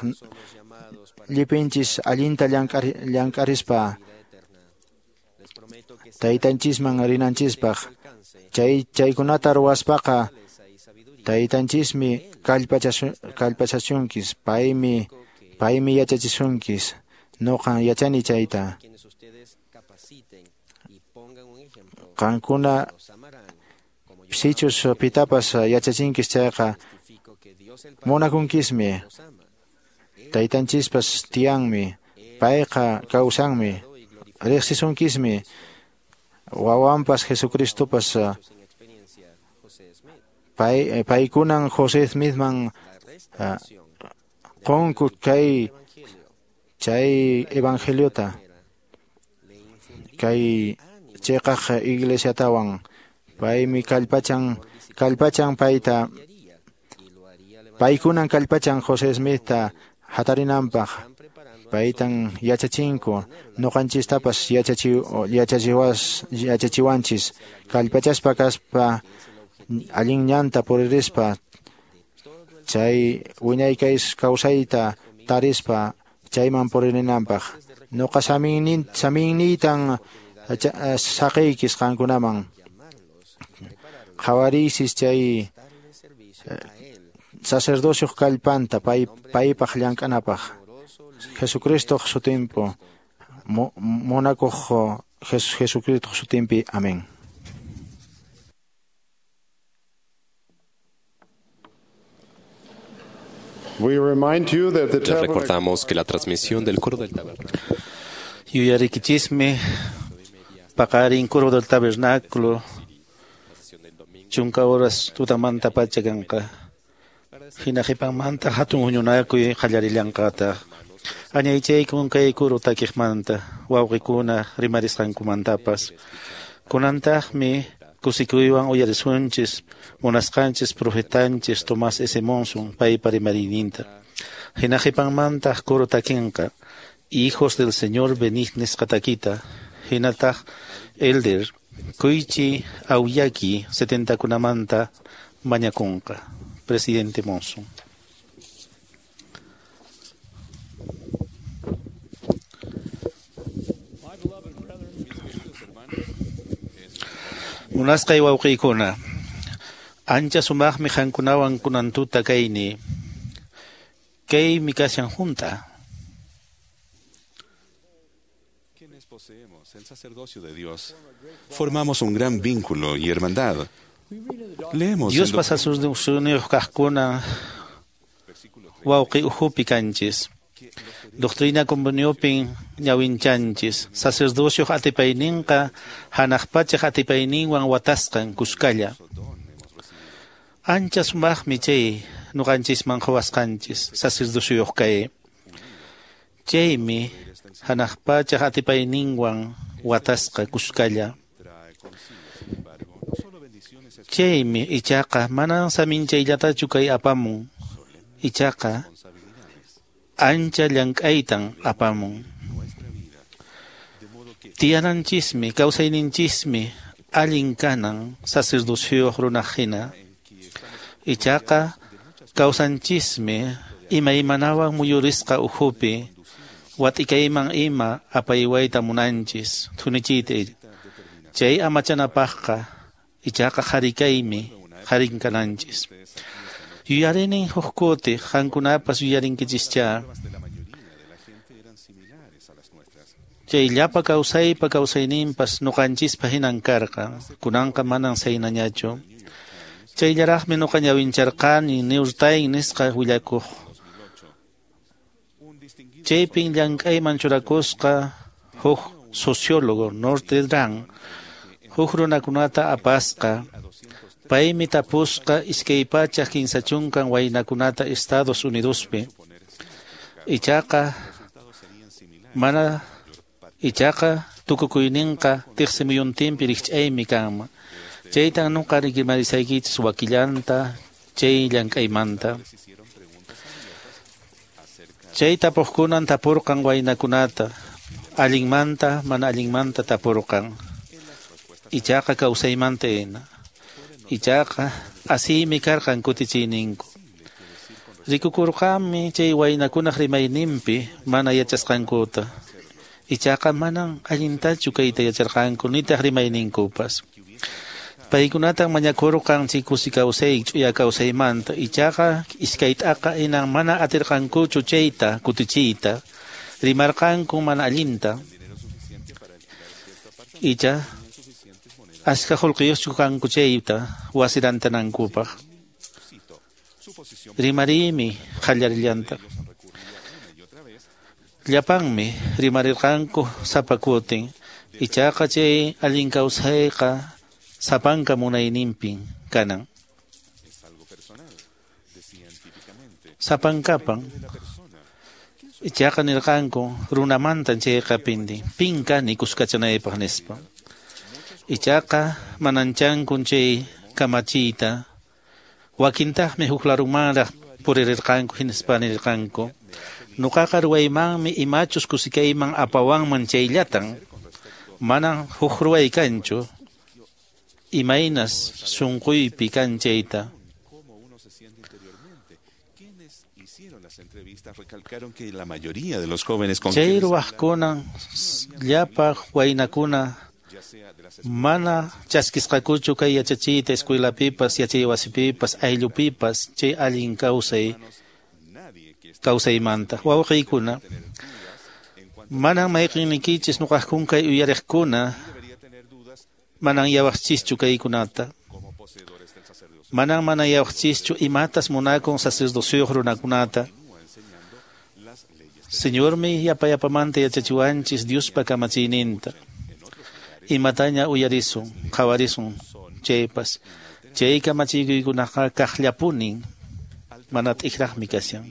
llipinchis allinta llank'arispa taytanchisman rinanchispaq. Chay chaykunata ruwaspaqa taytanchismi kallpachasunkis, paymi paymi yachachisunkis. Nuqan yachani chayta. Qankuna sichus pitapas yachachinkis chayqa munakunkismi. Taytanchispas tiyanmi, payqa kawsanmi, riqsisunkismi. Wawanpas Jesucristopas pay paykunan José Smithman qunku kay chay evangeliota kay chiqaq iglesiatawan. Paymi kallpachan kallpachan payta paykunan kallpachan José Smithta hatarinanpaq. Paytan yachachinku nuqanchistapas yachachi yachachiwas yachachiwanchis kallpachaspa kaspa allin ñanta puririspa chay wiñay kawsayta tarispa chayman puririnanpaq. Nuqa saminnin saminniytan saqiykis qankunaman. Qhawariysis chay sacerdocioq kallpanta pay paypaq llank'anapaq. Jesucristo sutimpo munakuq Jesucristo sutimpi. Amén. Les recordamos que la transmisión del coro del tabernáculo. Yuyarikichismi paqarin coro del tabernáculo chunka horas tutamanta pacha kanqa. Hina qhipanmanta hatun huñunakuy qallarillanqataq. Añaychaykun kay kuru takiqmanta wawqikuna rimarisqankumantapas. Kunantaqmi kusikuywan uyarisunchis munasqanchis profetanchis Tomás S. Monson paypa rimariyninta. Hina qhipanmantaq kuru takinqa Hijos del Señor venid nisqa takita. Hinataq Elder Koichi Aoyagi setentakunamanta mañakunqa. Presidente Monson. Munasqay wawqiykuna, ancha sumaqmi qankunawan kunan tuta kayni. Kaymi kashan junta. Quienes poseemos el sacerdocio de Dios, formamos un gran vínculo y hermandad. Leemos Dios pasa sus uniyuq kaqkuna wawqi ukhupi kanchis. Doctrina conveniopin ñawinchanchis. Sacerdocioq atipayninqa hanaq pachaq atipayninwan watasqan kuskalla. Ancha sumaqmi chay nuqanchisman quwasqanchis sacerdocioyuq kay. Chaymi hanaq pachaq atipayninwan watasqa kuskalla. Chaymi ichaqa manan saminchayllatachu kay apamun. Ichaqa ancha llank'aytan apamun. Tiyananchismi, kawsayninchismi allin kanan sacerdocioyuq runaqhina. Ichaqa kawsanchismi imaymanawan muyurisqa ukhupi watikayman ima apaywayta munanchis thunichiyta. Chay amachanapaqqa ichaqa qharikaymi qharin kananchis. Yuyarinin huk kuti qankunapas yuyarinkichischá. Chay llapa kawsaypa kawsayninpas nuqanchispa hinan karqa, kunanqa manan saynañachu. Chayllaraqmi nuqa ñawincharqani Newsday nisqa willakuq. Chaypin llank'ayman churakusqa huk sociólogo Norte Dran, huk runakunata apasqa. Paymi tapusqa iskay pachak kinsa chunkan waynakunata Estados Unidospi. Ichaqa mana ichaqa tukukuyninqa tiqsimuyuntinpi rikch'aymi kanman. Chaytan nuqa rimarisaykichis wakillanta chay llank'aymanta. Chay tapuqkunan tapurqan waynakunata, allinmanta mana allinmanta tapurqan. Ichaqa kawsaymanta hina. Ichaqa asiymi karqan kutichiyninku. Rikukurqanmi chay waynakunaq rimayninpi mana yachasqankuta. Ichaqa manan allintachu kayta yacharqanku nitaq rimayninkupas. Paykunatan mañakurqan chay kusi kawsay ch'uya kawsaymanta. Ichaqa iskaytaqa hinan mana atirqankuchu chayta kutichiyta. Rimarqanku mana allinta. Icha ashka qullqiyuqchu kanku chayta wasirantanankupaq. Rimariymi qallarillantaq. Llapanmi rimarirqanku sapa kutin. Ichaqa chay allin kawsayqa sapanka munayninpin kanan. Sapankapan. Ichaqa nirqanku runamantan chayqa pindi. Pin kani kuskachanaypaq nispa. Ichaqa mananchankun chay kamachiyta. Wakintaqmi huk larumanraq puririrqanku hinaspa nirqanku. Nuqaqa ruwaymanmi imachus kusikayman apawanman chayllatan. Manan huk ruway kanchu. Imaynas sunquypi kan chayta. Chay ruwaqkunan llapa waynakuna mana chaskisqakuchu kay yachachiyta escuelapipas, yachaywasipipas, ayllupipas chay allin kawsay kawsaymanta. Wawqiykuna, manan mayqinnikichis nuqaqkun kay uyariqkuna manan yawaqchischu kaykunata. Manan mana yawaqchischu imatas munakun sacerdocioyuq runakunata. Señormi yapa yapamanta yachachiwanchis Diospa kamachiyninta. Imataña uyarisun, qhawarisun chaypas. Chay kamachikuykunaqa kaqllapunin, mana t'ikraqmi kashan.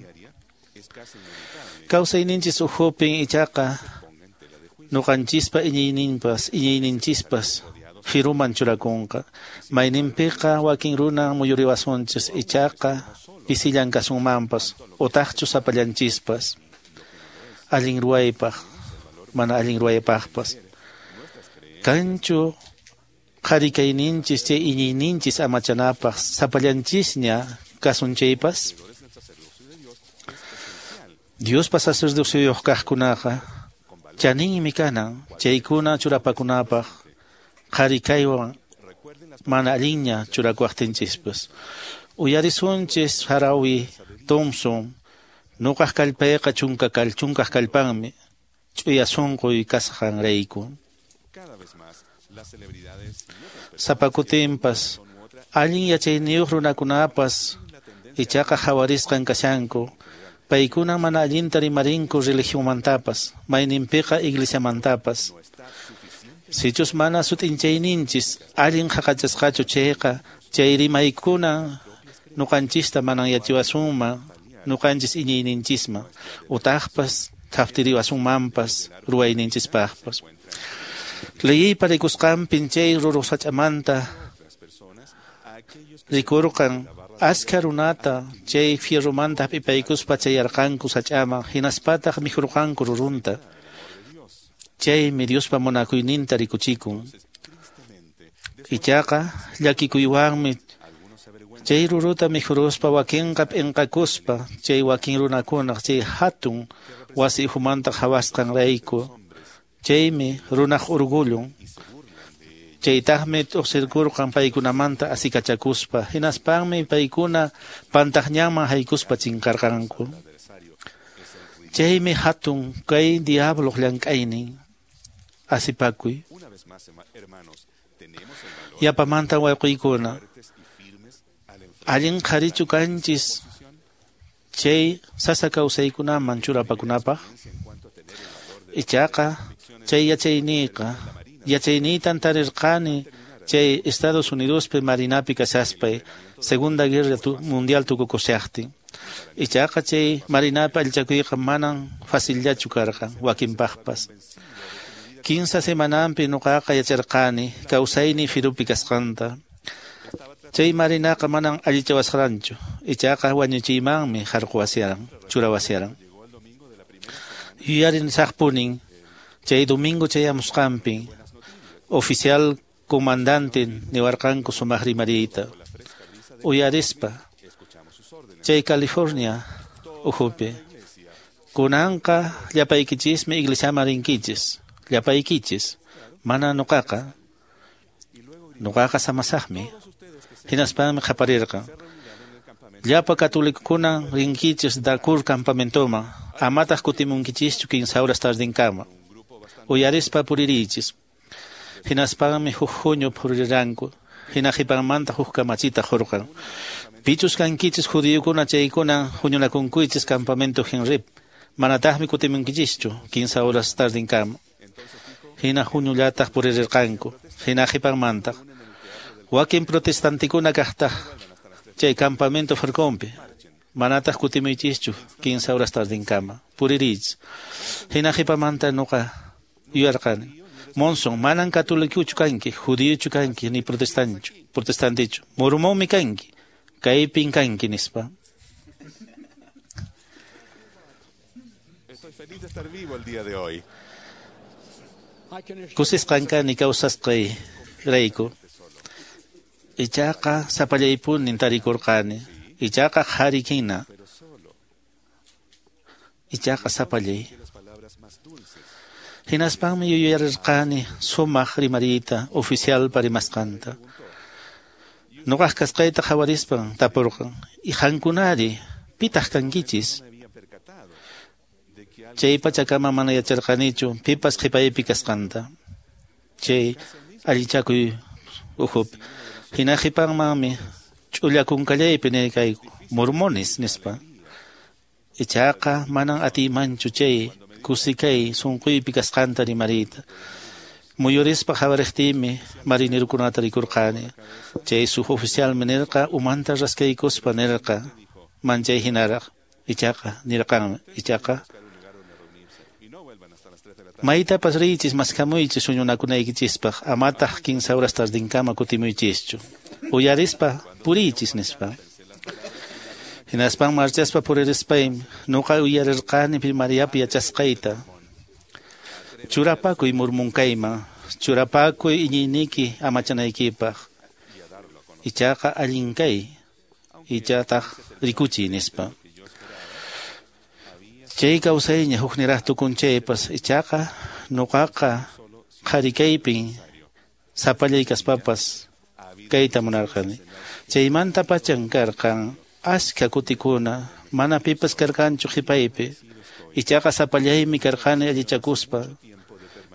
Kawsayninchis ukhupin ichaqa nuqanchispa iñiyninpas, iñiyninchispas firuman churakunqa. Mayninpiqa wakin runa muyuriwasunchis ichaqa pisillan kasunmanpas utaqchu sapallanchispas. Allin ruwaypaq, mana allin ruwaypaqpas. Kanchu qharikayninchis chay iñiyninchis amachanapaq sapallanchisña kasun chaypas. Diospa sacerdocioyuq kaqkunaqa chaninmi kanan chaykuna churapakunapaq qharikaywan mana allinña churakuwaqtinchispas. Uyarisunchis Harawi Thompson, nuqaq kallpayqa chunka kal chunkaq kallpanmi ch'uya sunquy kasqanrayku. Sapa kutinpas allin yachayniyuq runakunapas ichaqa qhawarisqan kashanku. Paykuna mana allinta rimarinku religionmantapas, mayninpiqa iglesiamantapas. Sichus mana sut'inchayninchis allin qhaqachasqachu chayqa, chay rimaykuna nuqanchista manan yachiwasunman, nuqanchis iñiyninchisman, utaqpas thaftiriwasunmanpas ruwayninchispaqpas. Leyiypa rikusqanpin chay ruruq sach'amanta rikurqan ashka runata chay fierromanta hap'ipaykuspa chayarqanku sach'aman, hinaspataq mikhurqanku rurunta. Chaymi Diospa munakuyninta rikuchikun. Ichaqa llakikuywanmi chay ruruta mikhuruspa wakinqa p'inqakuspa chay wakin runakunaq chay hatun wasi ukhumanta qhawasqanrayku. Chaymi runaq orgullun. Chaytaqmi t'uqsirkurqan paykunamanta asikachakuspa, hinaspanmi paykuna pantaqñanman haykuspa chinkarqanku. Chaymi hatun kay diabloq llank'aynin asipakuy. Yapamanta wawqiykuna, allin qharichu kanchis chay sasa kawsaykunaman churapakunapaq. Ichaqa chay yachayniyqa yachayniytan tarirqani chay Estados Unidospi marinapi kashaspay Segunda Guerra Mundial tukukushaqtin. Ichaqa chay marinapi allichakuyqa manan facillachu karqan wakinpaqpas. Kinsa semananpi nuqaqa yacharqani kawsayni firupi kasqanta. Chay marinaqa manan allichawasqaranchu, ichaqa wañuchiymanmi harquwasiaran, churawasiaran. Yuyarin saqpunin chay domingo chayamusqanpi oficial comandante niwarqanku sumaq rimariyta. Uyarispa chay California ukhupi kunanqa llapaykichismi iglesiaman rinkichis, llapaykichis, mana nuqaqa, nuqaqa samasaqmi. Hinaspanmi qaparirqan, llapa katolikukuna rinkichis Dakur campamentoman, amataq kutimunkichischu kinsa horas tardinkama. Uyarispa puririychis. Hinaspanmi huk huñu puriranku, hina qhipanmanta huk kamachita qurqan. Pichus kankichis judíokuna chaykuna huñunakunkuychis campamento Henrip, manataqmi kutimunkichischu kinsa horas tardinkama. Hina huñullataq puririrqanku, hina qhipanmantaq wakin protestantikuna kaqtaq chay campamento Farcompi, manataq kutimuychischu kinsa horas tardinkama, puririychis. Hina qhipamanta nuqa yuyarqani, Monson, manan katolikuchu kanki, judiochu kanki, ni protestanchu, protestantichu, mormonmi kanki, kaypin kanki nispa. Estoy feliz de estar vivo el día de hoy. Kusisqan kani kawsasqay rayku. Ichaqa sapallaypunin tarikurqani, ichaqa qhari hina, ichaqa sapallay. Hinaspanmi yuyarirqani sumaq rimariyta oficialpa rimasqanta. Nuqaq kasqayta qhawarispan tapurqan, "Qankunari, pitaq kankichis?" Chay pachakama mana yacharqanichu pipas qhipaypi kasqanta. Chay allichakuy ukhupi. Hina qhipanmanmi ch'ullakunkallaypi nirqayku, mormones nispa. Ichaqa manan atiymanchu chay kusikay sunquypi kasqanta rimariyta. Muyurispa qhawariqtiymi marinerukunata rikurqani. Chay suboficialmi nirqa umanta raskaykuspa nirqa manchay hinaraq. Ichaqa nirqanmi, ichaqa maytapas riychis maskhamuychis huñunakunaykichispaq, amataq kinsa horas tardinkama kutimuychischu. Uyarispa puriychis nispa. Hinaspan marchaspa puririspaymi nuqa uyarirqani primariapi yachasqayta. Churapakuy murmunkayman, churapakuy iñiyniyki amachanaykipaq. Ichaqa allin kay, ichataq rikuchiy nispa. Chay kawsayña hukniraq tukun chaypas, ichaqa nuqaqa qhari kaypin sapallay kaspapas kayta munarqani. Chaymanta pachan karqan ashka kutikuna, mana pipas karqanchu qhipaypi. Ichaqa sapallaymi karqani allichakuspa.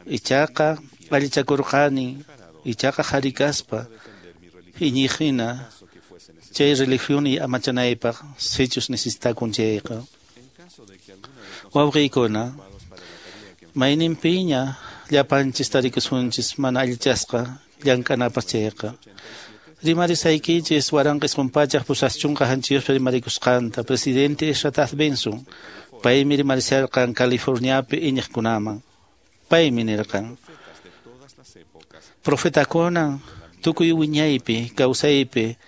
Ichaqa allichakurqani, ichaqa qhari kaspa iñiqhina chay religión amachanaypaq sichus necesitakun chayqa. Wawqiykuna, mayninpiña llapanchis tarikusunchis mana allichasqa llank'anapas chayqa. Rimarisaykichis waranqa isqun pachaq pusaq chunka hanchiyuqpi rimarikusqanta presidente Ezra Taft Benson, paymi rimarisharqan Californiapi iñiqkunaman. Paymi nirqan, profetakuna tukuy wiñaypi kawsaypi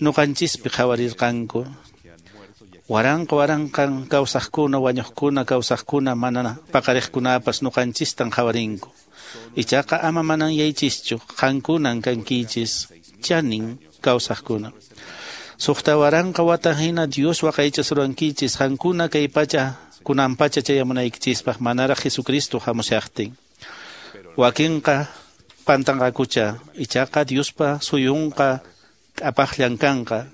nuqanchispi qhawarirqanku. Waranqa waranqan kawsaqkuna, wañuqkuna, kawsaqkuna, mana paqariqkunapas nuqanchistan qhawarinku. Ichaqa ama mananyaychischu, qankunan kankichis, chanin kawsaqkuna. Suqta waranqa wata hina Dios waqaychasurankichis, qankuna kay pacha kunan pacha chayamunaykichispaq manaraq Jesucristo hamushaqtin. Wakinqa pantanqakucha, ichaqa Diospa suyunqa k'apaqllan kanqa.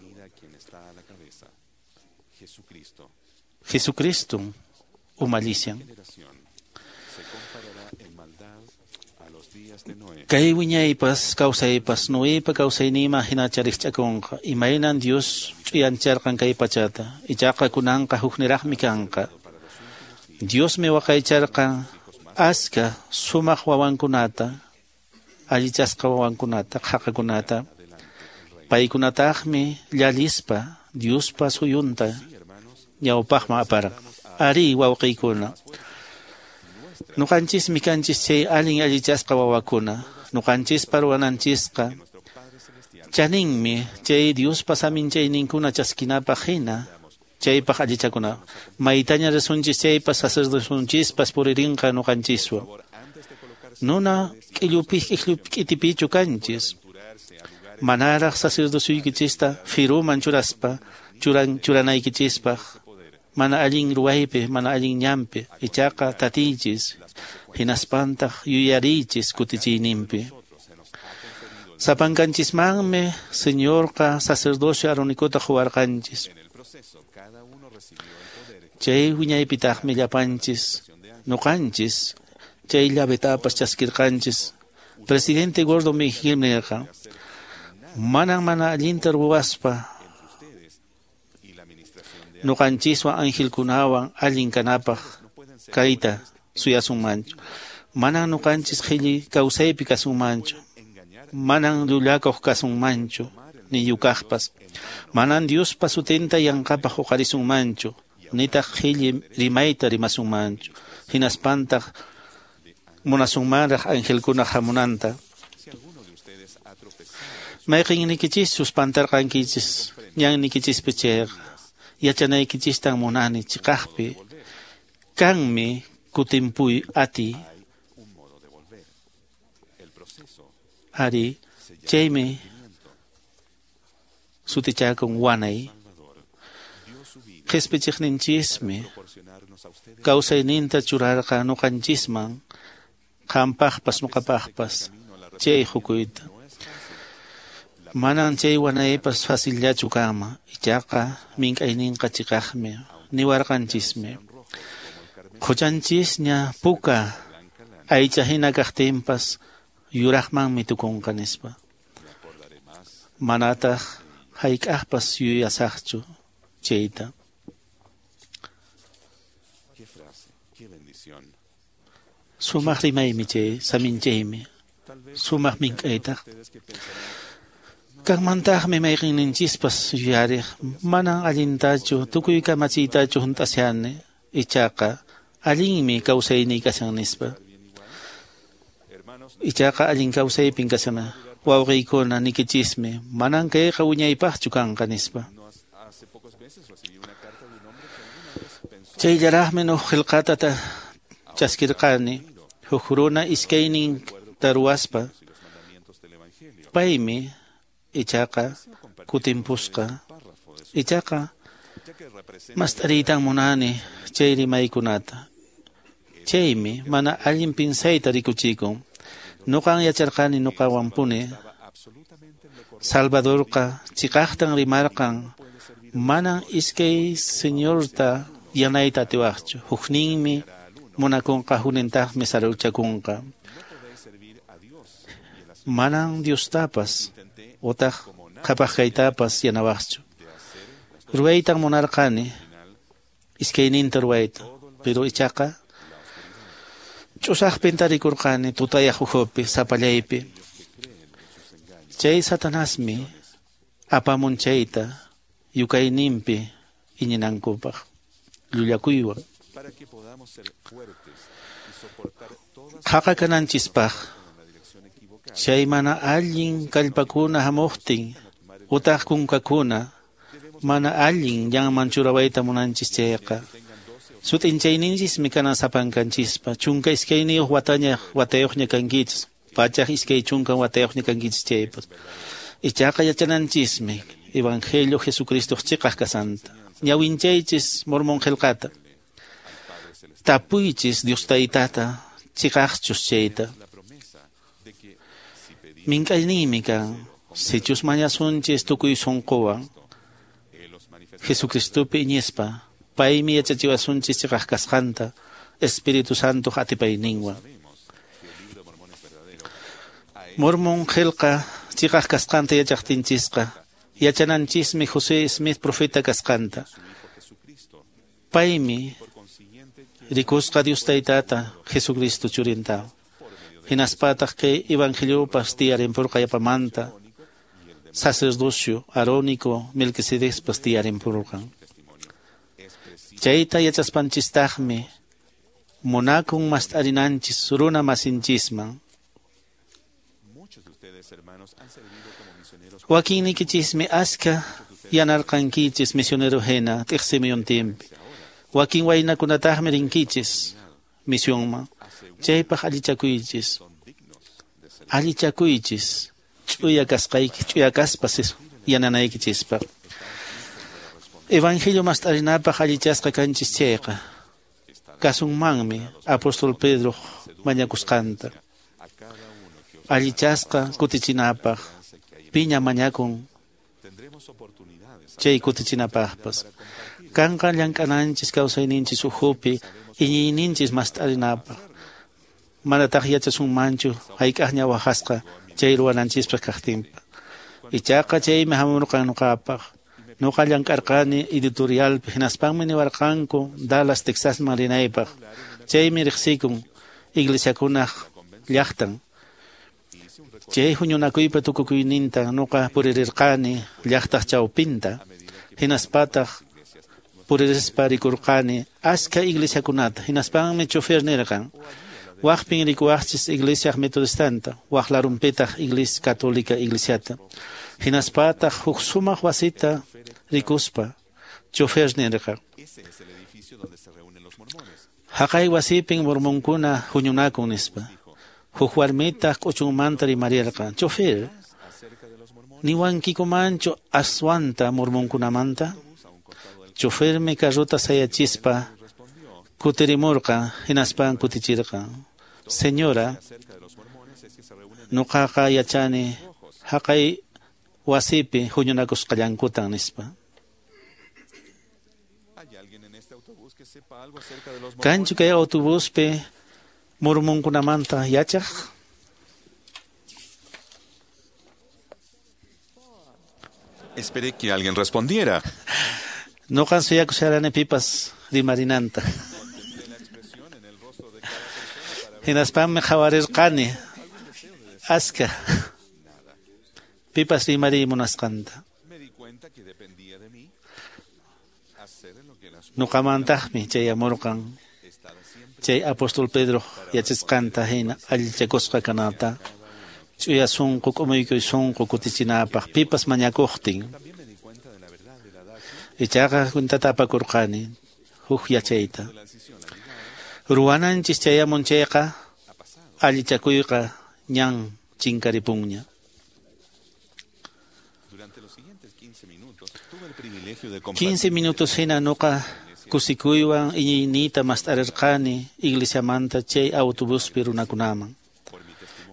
Jesucristo umallishan. Kay wiñaypas kawsaypas Noepa kawsaynima hina chariqch'akunqa, imaynan Dios ch'uyancharqan kay pachata, ichaqa kunanqa hukniraqmi kanqa. Diosmi waqaycharqan aska sumaq wawankunata, allichasqa wawankunata, qhaqakunata. Paykunataqmi llallispa Diospa suyunta ñawpaqman aparqa. Ari wawqiykuna, nuqanchismi kanchis chay allin allichasqa wawakuna, nuqanchispa ruwananchisqa chaninmi chay Diospa saminchayninkuna chaskinapaq hina chaypaq allichakuna. Maytaña risunchis chaypas sacerdosunchispas puririnqa nuqanchiswan. Nuna k'illupi k'itipichu kanchis. Manaraq sacerdosuykichista firuman churaspa churan churanaykichispaq mana allin ruwaypi, mana allin ñanpi, ichaqa tatiychis, hinaspantaq yuyariychis kutichiyninpi. Sapankanchismanmi Señorqa sacerdocio aronicota quwarqanchis. Chay wiñaypitaqmi llapanchis, nuqanchis, chay llavetapas chaskirqanchis. Presidente Gordon B. Hinckley nirqa, manan mana allinta ruwaspa nuqanchiswan angelkunawan allin kanapaq kayta suyasunmanchu. Manan nuqanchis qhilli kawsaypi kasunmanchu. Manan llullakuq kasunmanchu, ni yukaqpas. Manan Diospa sutinta yanqapaq huqarisunmanchu, nitaq qhilli rimayta rimasunmanchu. Hinaspantaq munasunmanraq angelkunaq hamunanta. Mayqinnikichischus pantarqankichis, ñannikichispi chayqa, yachanaykichistan munani chiqaqpi, kanmi kutimpuy ati. Ari, chaymi sutichakun wanay. Qhispichiqninchismi kawsayninta churarqa nuqanchisman, qampaqpas nuqapaqpas chay hukuyta. Manan chay wanaypas facillachu kanman, ichaqa mink'ayninqa chiqaqmi, niwarqanchismi. Quchanchisña puka aycha hina kaqtinpas yuraqmanmi tukunqa nispa. Manataq hayk'aqpas yuyasaqchu chayta. Sumaq rimaymi chay, saminchaymi, sumaq mink'aytaq. Kanmantaqmi mayqinninchispas yuyariq, manan allintachu, tukuy kamachiytachu hunt'ashani, ichaqa allinmi kawsayniy kashan nispa. Ichaqa allin kawsaypin kashana, wawqiykuna nikichismi, manan kayqa wiñaypaqchu kanqa nispa. Chayllaraqmi huk qillqata chaskirqani, huk runa iskaynin taruwaspa, paymi ichaqa kutimpusqa. Ichaqa mast'ariytan munani chay rimaykunata. Chaymi mana allin pinsayta rikuchikun. Nuqan yacharqani nuqawanpuni. Salvadorqa chiqaqtan rimarqan, manan iskay señorta yanayta atiwaqchu. Hukninmi munakunqa, huknintaqmi saruchakunqa. Manan Diostapas utaq qhapaq kaytapas yanawaqchu. Ruwaytan munarqani, iskayninta ruwayta, pero ichaqa ch'usaqpin tarikurqani tutayaq ukhupi, sapallaypi. Chay Satanasmi apamun chayta yukayninpi iñinankupaq llullakuywan. Qhaqa kananchispaq chay mana allin kallpakuna hamuqtin utaq kunkakuna Mana allin ñanman churawayta munanchis chayqa. Sut'inchayninchismi kanan sapankanchispa. Chunka iskayniyuq wataña watayuqña kankichis. Pachaq iskay chunka watayuqña kankichis chaypas. Ichaqa yachananchismi Evangelio Jesucristo chiqaq kasanta. Ñawinchaychis Mormón qillqata. Tapuychis Dios taytata chiqaqchus chayta. Mink'ayniymi kan sichus mañasunchis tukuy sunquwan Jesucristopi iñispa paymi yachachiwasunchis chiqaq kasqanta Espíritu Santo atipayninwan. Mormón qillqa chiqaq kasqanta yachaqtinchisqa yachananchismi José Smith profeta kasqanta. Paymi rikusqa Dios taytata Jesucristo churinta. Hinaspataq kay evangeliopas tiyarinpurqa yapamanta sacerdocio arónico Melquisedecpas tiyarinpurqan. Chayta yachaspanchistaqmi munakun mast'arinanchis runa masinchisman. Wakinniykichismi aska yanarqankichis misionero hina t'iqsimuyuntinpi. Wakin waynakunataqmi rinkichis misionman. Chaypaq allichakuychis. Allichakuychis ch'uya kasqayki ch'uya kaspas yananaykichispaq. Evangelio mast'arinapaq allichasqa kanchis chayqa kasunmanmi apóstol Pedro mañakusqanta. Allichasqa kutichinapaq piña mañakun chay kutichinapaqpas. Kanqa llank'ananchis kawsayninchis ukhupi iñiyninchis mast'arinapaq. Manataq yachasunmanchu hayk'aqña waqasqa chay ruwananchispaq kaqtinpa. Ichaqa chaymi hamurqan nuqapaq. Nuqa llank'arqani editorialpi hinaspanmi niwarqanku Dallas, Texasman rinaypaq. Chaymi riqsikun iglesiakunaq llaqtan. Chay huñunakuypa tukukuyninta nuqa puririrqani llaqtaq chawpinta. Hinaspataq puririspa rikurqani aska iglesiakunata. Hinaspanmi chofer nirqan. Waqpin rikuwaqchis iglesiaq metodistanta, waq larumpitaq iglesia católica iglesiata. Hinaspataq huk sumaq wasita rikuspa chofer nirqan. Haqay wasipin mormonkuna huñunakun nispa. Huk warmitaq k'uchunmanta rimarirqan. Chofer, niwankikumanchu aswanta mormonkunamanta? Chofermi carrota sayachispa kutirimurqan, hinaspan kutichirqan. Señora, nuqaqa yachani haqay wasipi huñunakusqallankutan nispa. Kanchu kay autobuspi mormonkunamanta yachaq? Esperé que alguien respondiera. Nuqan suyakusharani pipas rimarinanta. Hinaspanmi qhawarirqani aska pipas rimariy munasqanta. Nuqamantaqmi chayamurqan chay apóstol Pedro yachasqanta hina allichakusqa kanata ch'uya sunqu k'umuykuy sunqu kutichinapaq pipas mañakuqtin. Ichaqa cuentata apakurqani huk yachayta. Ruwananchis chayamun chayqa allichakuyqa ñan chinkaripunña. quince minutos hina nuqa kusikuywan iñiyniyta mast'arirqani iglesiamanta chay autobuspi runakunaman.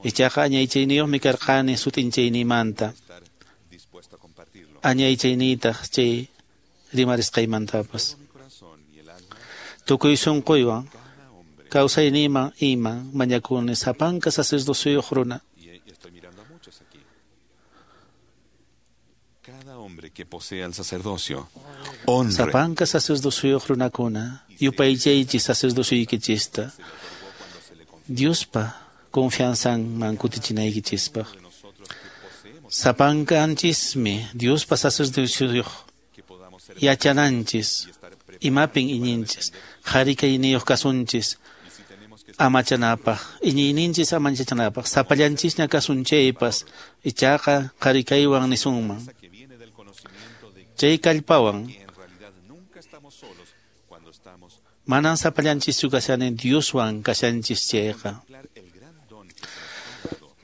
Ichaqa añaychayniyuqmi karqani sut'inchaynimanta. Añaychayniytaq chay rimarisqaymantapas. Tukuy sunquywan kawsayniyman iman mañakuni sapanka sacerdociyuq runa. Cada hombre que posea el sacerdocio, honre. Sapanka sacerdociyuq runakuna, yupaychaychis sacerdociykichista. Diospa confianzanman kutichinaykichispaq. Sapankanchismi Diospa sacerdociyuq yachananchis, imapin iñinchis, qhari kayniyuq kasunchis, amachanapaq, iñiyninchis amachanapaq, sapallanchisña kasun chaypas, ichaqa qhari kaywan nisunman. Chay kallpawan manan sapallanchischu kashani Dioswan kashanchis chayqa.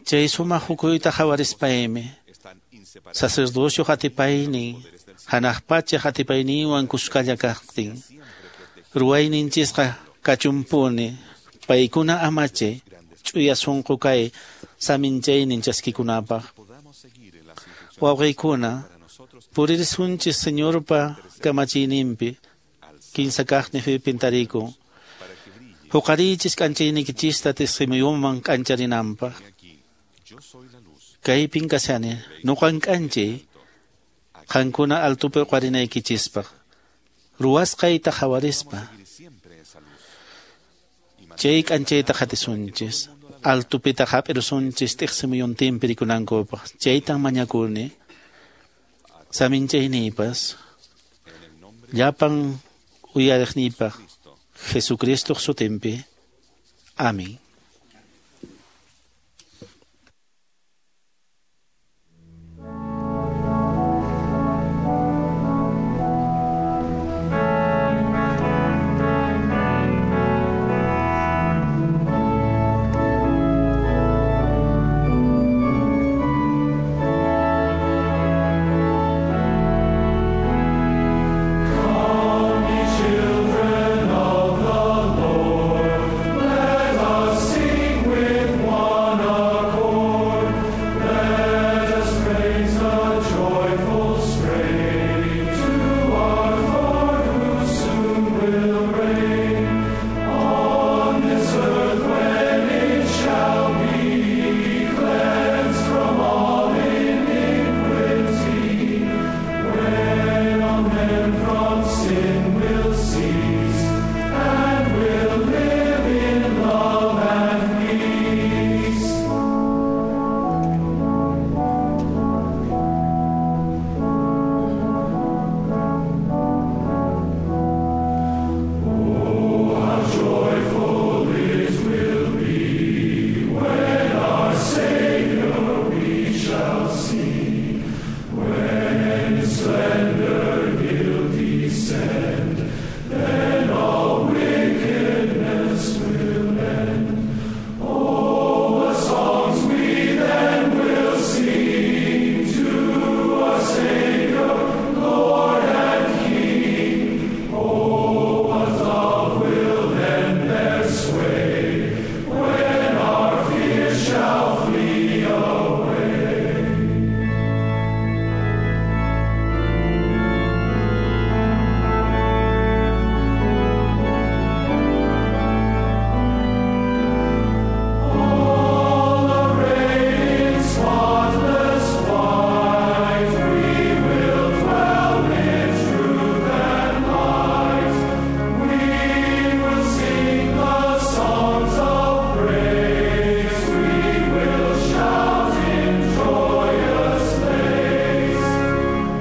Chay sumaq hukuyta qhawarispaymi sacerdocio atipaynin hanaq pacha atipayninwan kuskalla kaqtin ruwayninchisqa kachumpuni paykuna amache ch'uya sunqu kay saminchaynin chaskikunapaq. Wawqiykuna puririsunchis Señorpa kamachiyninpi kinsa kaqni pintariku. Huqariychis k'anchaynikichista tisqimuyuman k'ancharinanpaq. Kaypin kashani nuqan k'anchay qankuna altupi uqarinaykichispaq. Ruwasqayta qhawarispa chay k'anchayta qhatisunchis altupita hap'irusunchis tiqsimuyuntinpi rikunankupaq. Chaytan mañakuni saminchayniypas llapan uyariqniypaq Jesucristoq sutinpi. Amén. Children of the Lord, let us sing with one accord. Let us raise a joyful strain to our Lord who soon will reign on this earth when it shall be cleansed from all iniquity. When all men from sin will cease and will live in love and peace. Oh, how joyful it will be when our Savior we shall see, when in splendor he'll descend, then all wickedness will end. Oh, what songs we then will sing to our Savior, Lord and King. Oh, what love will then bear sway when our fears shall flee away. All arrayed in spotless white, we will dwell in truth and light. We will sing the songs of praise. We will shout in joyous lays.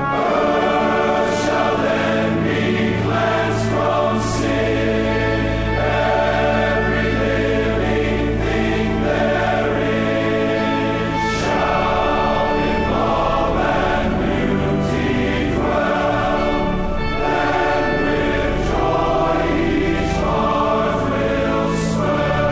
Earth shall then be cleansed from sin. Every living thing therein shall in love and beauty dwell. Then with joy each heart will swell.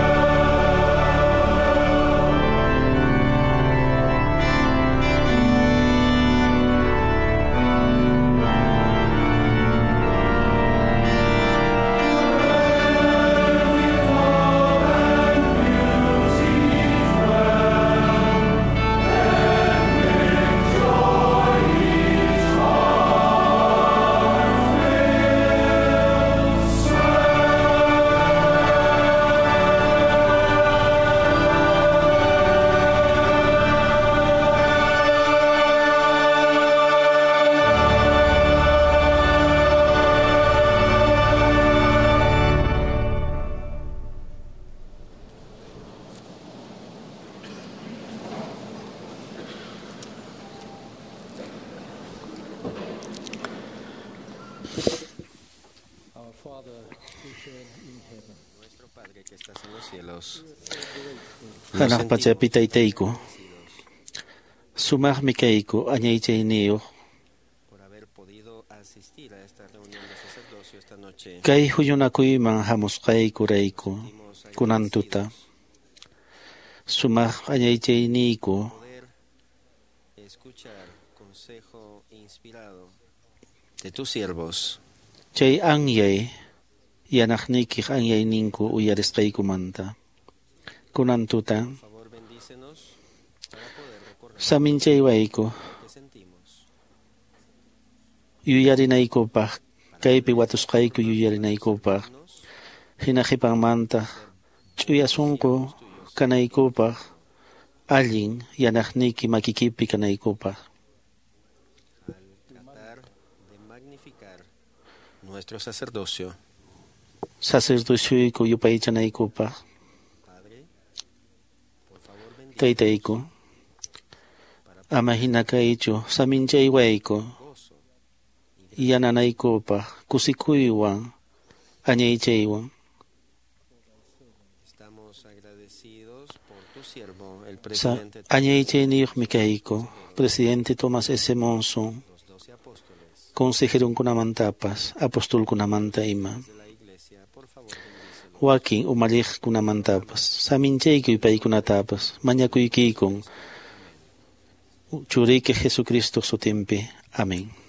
Our Father, which art in heaven. Nuestro Padre que estás en los cielos. Hanaq pachapi taytayku, sumaqmi kayku añaychayniyuq Por haber podido Kay huñunakuyman hamusqaykurayku kunan tuta sumaq añaychayniyku de tus siervos. Chay anyay yanaqniykiq anyayninku uyarisqaykumanta. Kunan tuta saminchaywayku yuyarinaykupaq kaypi watusqayku yuyarinaykupaq hina qhipanmanta ch'uya sunqu kanaykupaq allin yanaqniyki makikipi kanaykupaq. Nuestro sacerdocio. Sacerdocioyku yupaychanaykupaq. Taytayku, ama hina kaychu saminchaywayku yananaykupaq kusikuywan añaychaywan. Estamos agradecidos por tu siervo, el Sa presidente añaychayniyuqmi kayku, presidente Thomas S. Monson, consejerunkunamantapas, apostolkunamanta ima. Wakin umalliqkunamantapas, saminchaykuy paykunatapas, mañakuykikun churiyki Jesucristo sutinpi. Amén.